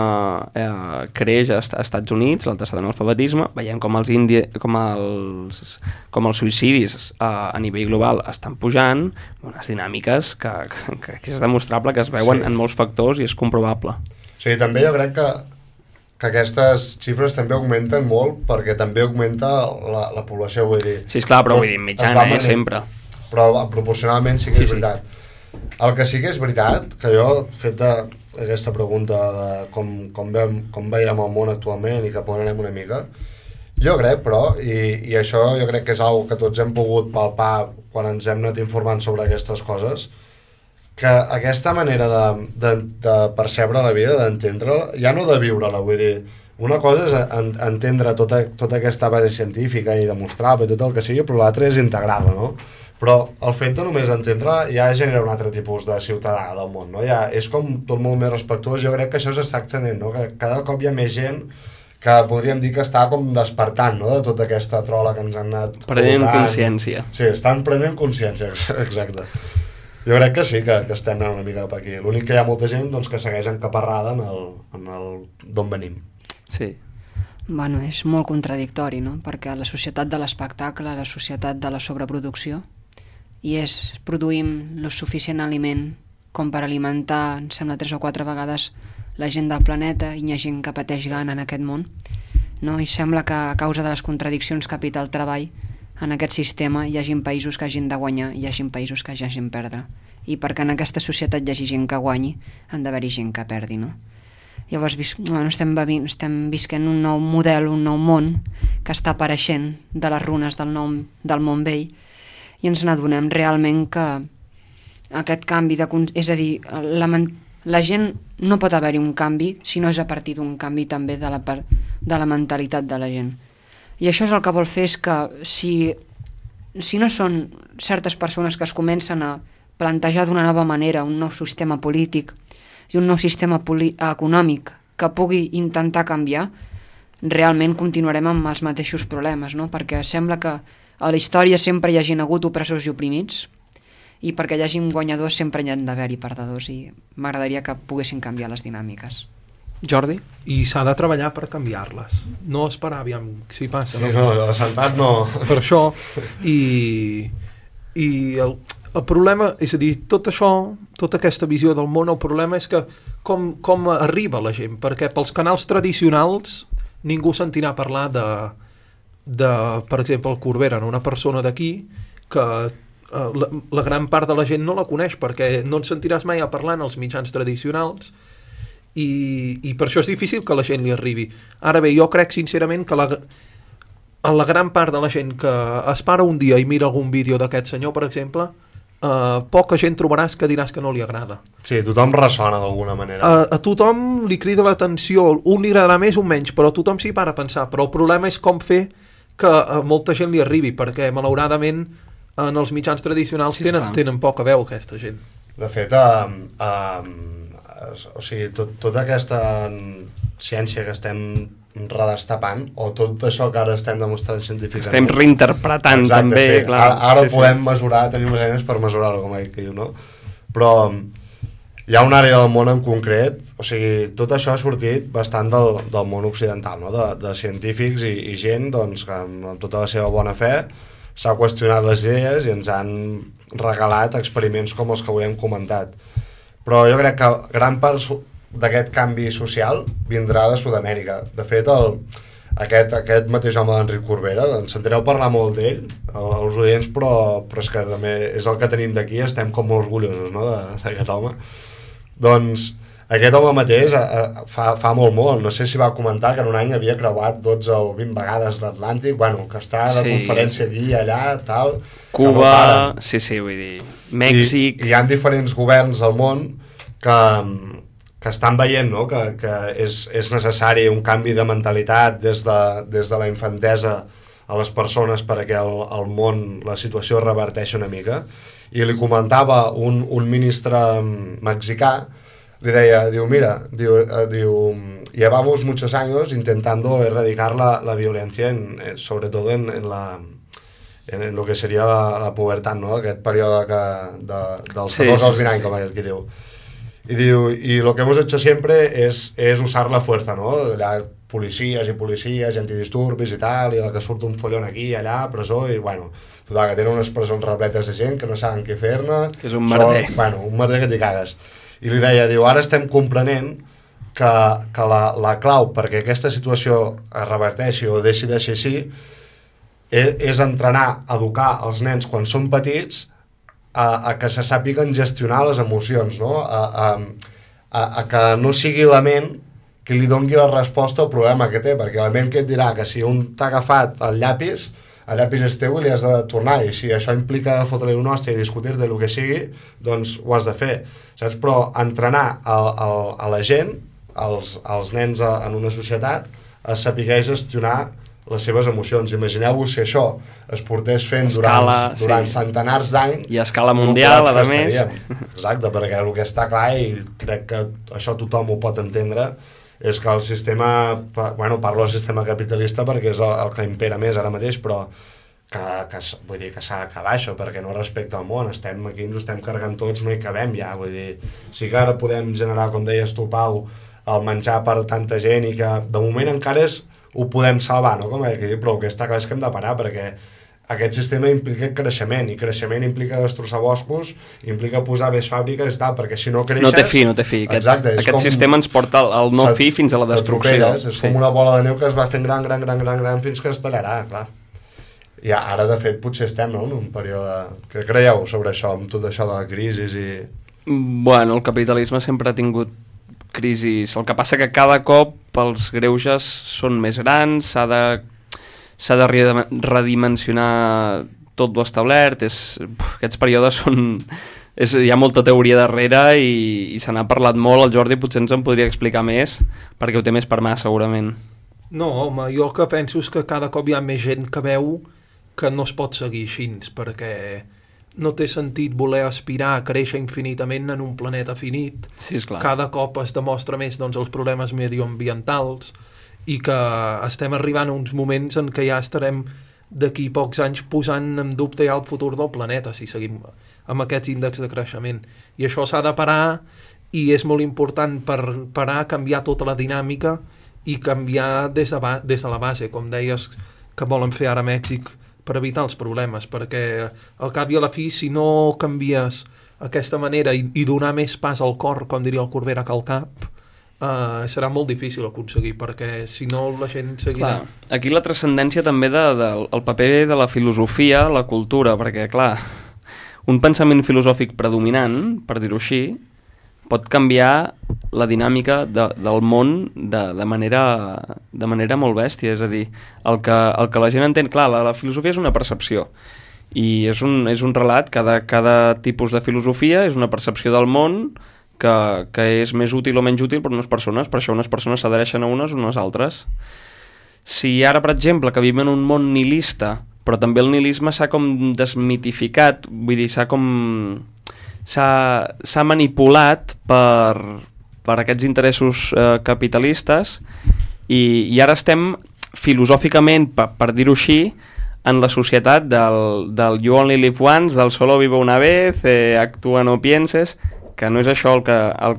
creix als Estats Units, l'altre analfabetisme, veiem com els suïcidis a nivell global estan pujant, unes dinàmiques que és demostrable, que es veuen en molts factors i és comprovable. O sigui, també jo crec que aquestes xifres també augmenten molt perquè també augmenta la població, vull dir... Sí, esclar, però vull dir, mitjana, sempre. Però proporcionalment sí que és veritat. El que sí que és veritat, que jo, feta aquesta pregunta de com veiem el món actualment i cap on anem una mica, jo crec, però, i això jo crec que és una que tots hem pogut palpar quan ens hem anat informant sobre aquestes coses, que aquesta manera de percebre la vida, d'entendre-la, ja no de viure-la, vull dir, una cosa és entendre tota aquesta base científica i demostrar-la i tot el que sigui, però l'altra és integrar-la, no? Però el fet de només entendre-la ja genera un altre tipus de ciutadà del món, no? Ja és com tot molt més respectuós, jo crec que això s'està extenent, no? Que cada cop hi ha més gent que podríem dir que està com despertant, no? De tota aquesta trola que ens han anat... Prenent consciència. Sí, estan prenent consciència, exacte. Jo crec que sí, que estem anant una mica cap aquí. L'únic que hi ha molta gent doncs, que segueix encaparrada en el d'on venim. Sí. Bueno, és molt contradictori, no? Perquè la societat de l'espectacle, la societat de la sobreproducció, i produïm el suficient aliment com per alimentar, em sembla, 3 o 4 vegades la gent del planeta, i hi ha gent que pateix gana en aquest món, no? I sembla que a causa de les contradiccions capital-treball en aquest sistema hi hagin països que hagin de guanyar i hi hagin països que hagin de perdre. I perquè en aquesta societat hi hagi gent que guanyi, han d'haver-hi gent que perdi, no? Llavors estem visquent un nou model, un nou món que està apareixent de les runes del món vell, i ens n'adonem realment que aquest canvi és a dir, la gent no pot haver-hi un canvi si no és a partir d'un canvi també de la mentalitat de la gent. I això és el que vol fer, és que si no són certes persones que es comencen a plantejar d'una nova manera un nou sistema polític i un nou sistema econòmic que pugui intentar canviar, realment continuarem amb els mateixos problemes, no? Perquè sembla que a la història sempre hi hagin hagut opressors i oprimits, i perquè hi hagin guanyadors sempre hi han d'haver-hi perdedors, i m'agradaria que poguessin canviar les dinàmiques. Jordi? I s'ha de treballar per canviar-les, no esperar aviam si passa. Sí, no, la sentat no. Per això, i el problema, és a dir, tot això, tota aquesta visió del món, el problema és que com arriba la gent, perquè pels canals tradicionals ningú sentirà parlar de per exemple, el Corbera, una persona d'aquí que la gran part de la gent no la coneix, perquè no en sentiràs mai a parlar en els mitjans tradicionals, i per això és difícil que la gent li arribi. Ara bé, jo crec sincerament que la gran part de la gent que es para un dia i mira algun vídeo d'aquest senyor, per exemple, poca gent trobaràs que diràs que no li agrada. Sí, tothom ressona d'alguna manera. A tothom li crida l'atenció, un li agradarà més o menys, però tothom s'hi para a pensar. Però el problema és com fer que a molta gent li arribi, perquè malauradament en els mitjans tradicionals tenen poca veu aquesta gent. De fet, o sigui, tota aquesta ciència que estem redestapant, o tot això que ara estem demostrant científicament... Estem reinterpretant. Exacte, també. Sí. Clar, ara podem mesurar, tenim les eines per mesurar-ho, com que diu, no? Però hi ha una àrea del món en concret, o sigui, tot això ha sortit bastant del món occidental, no? De científics i gent doncs, que amb tota la seva bona fe s'ha qüestionat les idees i ens han regalat experiments com els que avui hem comentat. Però jo crec que gran part d'aquest canvi social vindrà de Sud-amèrica. De fet, aquest mateix home d'Enric Corbera, ens sentireu parlar molt d'ell, els oients, però és que també és el que tenim d'aquí, estem com molt orgullosos, no?, d'aquest home. Doncs aquest home mateix fa molt, no sé si va comentar que en un any havia creuat 12 o 20 vegades l'Atlàntic, bueno, que està de conferència aquí i allà, tal... Cuba, no sí, vull dir, Mèxic... I hi ha diferents governs al món que estan veient, no?, que és necessari un canvi de mentalitat des de la infantesa a les persones perquè el món, la situació reverteixi una mica. I li comentava un ministre mexicà, li deia, mira, llevamos muchos años intentando erradicar la violencia, sobre todo en en el que seria la pubertat, no? Aquest període dels 14 als 20 anys, com aquell que diu. Y lo que hemos hecho siempre es usar la fuerza, ¿no? Policías y policías, antidisturbis i tal, i el que surt un follon aquí, allà, presó, i bueno, total, que tenen unes presons repletes de gent que no saben què fer-ne. Que és un merder. Bueno, un merder que t'hi cagues. I li deia, diu, ara estem comprenent que la clau perquè aquesta situació es reverteixi o deixi de ser així és entrenar, educar els nens quan són petits a que se sàpiguen gestionar les emocions, no? A que no sigui la ment que li doni la resposta al problema que té, perquè la ment que et dirà que si un t'ha agafat el llapis és teu i li has de tornar, i si això implica fotre-li un hòstia i discutir de lo que sigui, doncs ho has de fer, saps? Però entrenar a la gent, als nens en una societat, a saber gestionar les seves emocions. Imagineu-vos si això es portés fent durant centenars d'anys i a escala mundial, a més. Exacte, perquè el que està clar, i crec que això tothom ho pot entendre, és que el sistema, bueno, parlo del sistema capitalista perquè és el que impera més ara mateix, però vull dir que s'ha d'acabar això, perquè no respecta el món. Estem aquí, ens ho estem carregant tots, no hi cabem ja, vull dir, sí que ara podem generar, com deies tu, Pau, el menjar per tanta gent, i que de moment encara ho podem salvar, no? Però el que està clar és que hem de parar, perquè aquest sistema implica creixement, i creixement implica destrossar boscos, implica posar més fàbriques i tal, perquè si no creixes... No té fi. Aquest sistema ens porta al no fi fins a la destrucció. És com una bola de neu que es va fent gran fins que es tallarà, clar. I ara, de fet, potser estem, no?, en un període... Què creieu sobre això, amb tot això de la crisi i... Bueno, el capitalisme sempre ha tingut crisis. El que passa que cada cop els greuges són més grans, s'ha de redimensionar tot lo establert. Aquests períodes són... hi ha molta teoria darrere i se n'ha parlat molt. El Jordi potser ens en podria explicar més, perquè ho té més per mà, segurament. No, home, jo el que penso és que cada cop hi ha més gent que veu que no es pot seguir així, perquè no té sentit voler aspirar a créixer infinitament en un planeta finit. Sí, esclar. Cada cop es demostra més, doncs, els problemes medioambientals, i que estem arribant a uns moments en què ja estarem d'aquí pocs anys posant en dubte ja el futur del planeta si seguim amb aquests índexs de creixement. I això s'ha de parar, i és molt important per parar, canviar tota la dinàmica i canviar des de la base, com deies que volen fer ara a Mèxic per evitar els problemes, perquè al cap i a la fi, si no canvies aquesta manera i donar més pas al cor, com diria el Corbera, que al cap, serà molt difícil aconseguir, perquè si no la gent seguirà. Clar, aquí la transcendència també del paper de la filosofia, la cultura, perquè, clar, un pensament filosòfic predominant, per dir-ho així, pot canviar la dinàmica del món de manera molt bèstia. És a dir, el que la gent entén... Clar, la filosofia és una percepció, i és un relat. Cada tipus de filosofia és una percepció del món que és més útil o menys útil per unes persones. Per això unes persones s'adhereixen a unes o unes altres. Si ara, per exemple, que vivim en un món nihilista, però també el nihilisme s'ha com desmitificat, vull dir, s'ha manipulat per aquests interessos capitalistes, i ara estem filosòficament, per dir-ho així, en la societat del you only live once, del solo vive una vez, actúa no pienses, que no és això el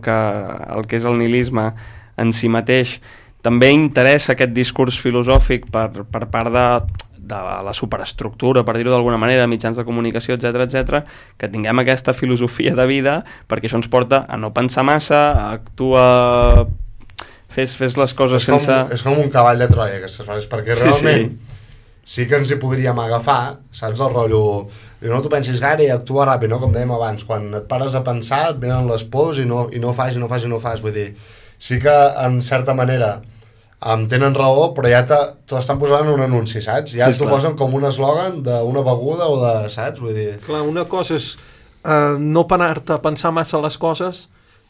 que és el nihilisme en si mateix. També interessa aquest discurs filosòfic per part de la superestructura, per dir-ho d'alguna manera, mitjans de comunicació, etc, que tinguem aquesta filosofia de vida, perquè això ens porta a no pensar massa, a actuar, fes les coses sense... És com un cavall de Troia, aquestes frases, perquè realment sí que ens hi podríem agafar, saps, el rotllo... No t'ho pensis gaire i actua ràpid, no? Com dèiem abans, quan et pares a pensar et venen les pors i no fas, vull dir, sí que en certa manera tenen raó, però ja t'ho estan posant en un anunci, saps? Ja t'ho posen com un eslògan d'una beguda o de... saps? Vull dir... Clar, una cosa és no parar-te a pensar massa les coses,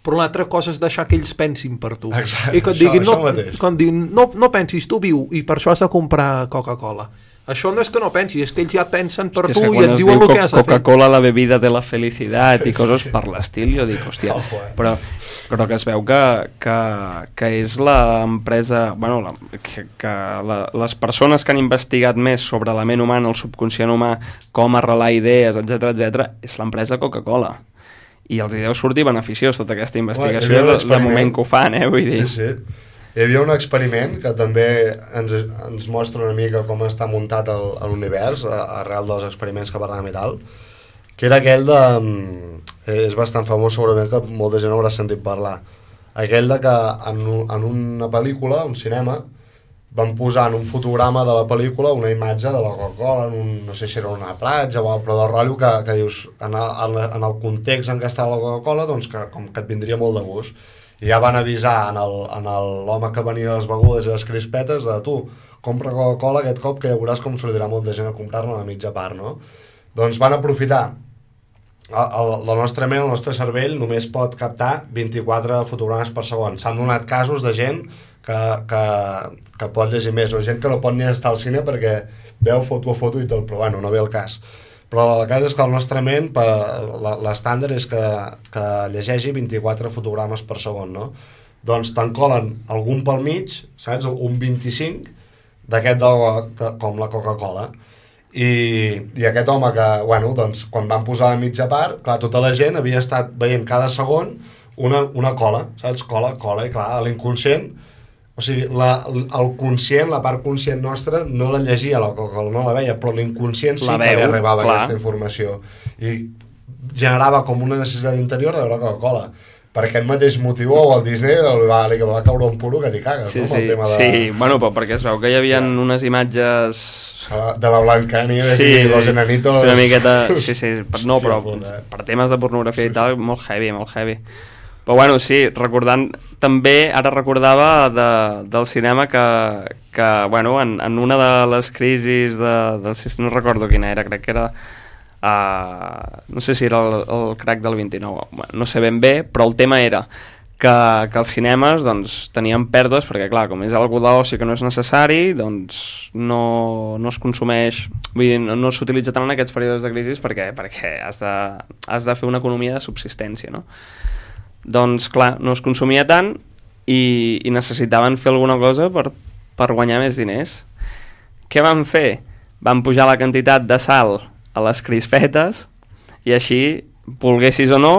però l'altra cosa és deixar que ells pensin per tu. Exacte, i que et diguin, no pensis, tu viu, i per això has de comprar Coca-Cola. Això no és que no pensis, és que ells ja et pensen per Hòstia, tu i et diuen el que has de fer. Coca-Cola, la bebida de la felicitat i coses per l'estil, jo dic, hòstia, però que es veu que és l'empresa, bueno, les persones que han investigat més sobre la ment humana, el subconscient humà, com arrelar idees, etc, és l'empresa Coca-Cola. I els hi deu sortir beneficiós tota aquesta investigació de moment que ho fan, vull dir. Sí. Hi havia un experiment que també ens mostra una mica com està muntat l'univers arrel dels experiments que parlàvem i tal, que era aquell de... és bastant famós, segurament que molta gent haurà sentit parlar. Aquell de que en una pel·lícula, un cinema, van posar en un fotograma de la pel·lícula una imatge de la Coca-Cola, no sé si era una platja o però del rotllo que dius, en el context en què estava la Coca-Cola, doncs que com que et vindria molt de gust. I ja van avisar en l'home que venia les begudes i les crispetes de tu, compra Coca-Cola aquest cop que ja veuràs com sortirà molta gent a comprar-ne a la mitja part, no? Doncs van aprofitar la nostra ment, el nostre cervell només pot captar 24 fotogrames per segon. S'han donat casos de gent que pot llegir més, o gent que no pot ni estar al cine perquè veu foto a foto i tot, però bueno, no ve el cas. Però el cas és que el nostre ment, l'estàndard és que llegeixi 24 fotogrames per segon, no? Doncs te'n colen algun pel mig, saps? Un 25 d'aquest com la Coca-Cola. I aquest home que, bueno, doncs, quan van posar la mitja part, clar, tota la gent havia estat veient cada segon una cola, saps? Cola, i clar, l'inconscient... O sigui, el conscient, la part conscient nostra, no la llegia la Coca-Cola, no la veia, però l'inconscient sí que li arribava aquesta informació. I generava com una necessitat interior de veure Coca-Cola. Per aquest mateix motiu, el Disney li va caure un puro que t'hi cagues, no? Sí, bueno, però perquè es veu que hi havia unes imatges... De la Blancanieves i los enanitos... Una miqueta... Sí, no, però per temes de pornografia i tal, molt heavy. Però bueno, sí, recordant també, ara recordava del cinema que bueno, en una de les crisis no recordo quina era, crec que era no sé si era el crack del 29, bueno, no sé ben bé, però el tema era que els cinemes doncs, tenien pèrdues perquè clar, com és algú d'oci que no és necessari, doncs no es consumeix, vull dir, no s'utilitza tant en aquests períodes de crisi perquè has de fer una economia de subsistència, no? Doncs clar, no es consumia tant i necessitaven fer alguna cosa per guanyar més diners. Què van fer? Van pujar la quantitat de sal a les crispetes i així, volguessis o no,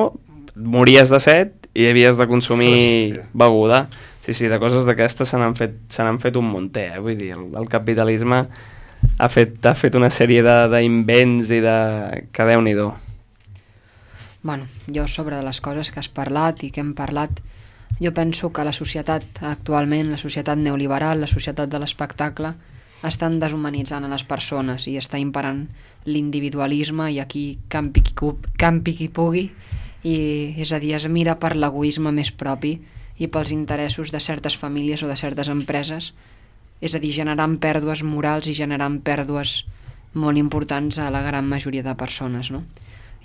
mories de set i havies de consumir beguda. Sí, de coses d'aquestes se n'han fet un munter, vull dir, el capitalisme ha fet una sèrie d'invents i que Déu-n'hi-do. Bueno, jo sobre les coses que has parlat i que hem parlat, jo penso que la societat actualment, la societat neoliberal, la societat de l'espectacle, estan deshumanitzant a les persones i està imperant l'individualisme i aquí campi qui pugui, i és a dir, es mira per l'egoisme més propi i pels interessos de certes famílies o de certes empreses, és a dir, generant pèrdues morals i generant pèrdues molt importants a la gran majoria de persones, no?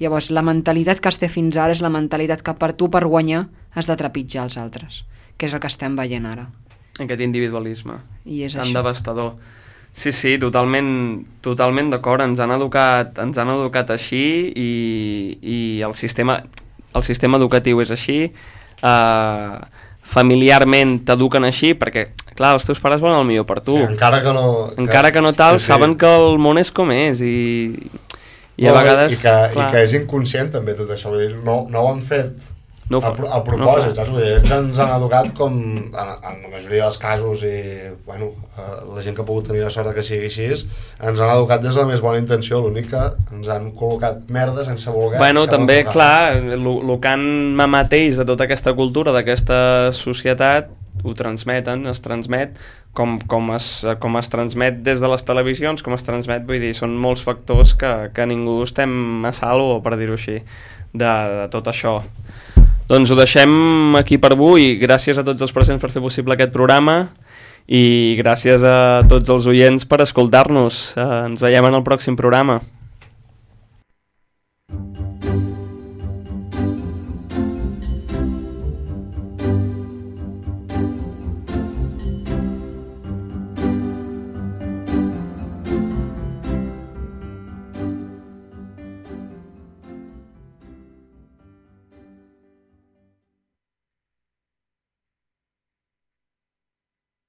Llavors, la mentalitat que es té fins ara és la mentalitat que per tu, per guanyar, has de trepitjar els altres, que és el que estem veient ara. Aquest individualisme tan això. devastador. Sí, totalment d'acord, ens han educat així i el sistema educatiu és així, familiarment t'eduquen així perquè, clar, els teus pares volen el millor per tu. Sí, encara que no tal, sí. Saben que el món és com és i a vegades... I que és inconscient també tot això, vull dir, no ho han fet a propòsit, saps? Vull dir, ells ens han educat com en la majoria dels casos i bueno, la gent que ha pogut tenir la sort que sigui així ens han educat des de la més bona intenció, l'únic que ens han col·locat merda sense voler. Bueno, també, clar, el que han mamat ells de tota aquesta cultura, d'aquesta societat, ho transmeten, es transmet com es transmet des de les televisions, com es transmet, vull dir, són molts factors que ningú estem a salvo, per dir-ho així, de tot això. Doncs ho deixem aquí per avui. Gràcies a tots els presents per fer possible aquest programa i gràcies a tots els oients per escoltar-nos. Ens veiem en el pròxim programa.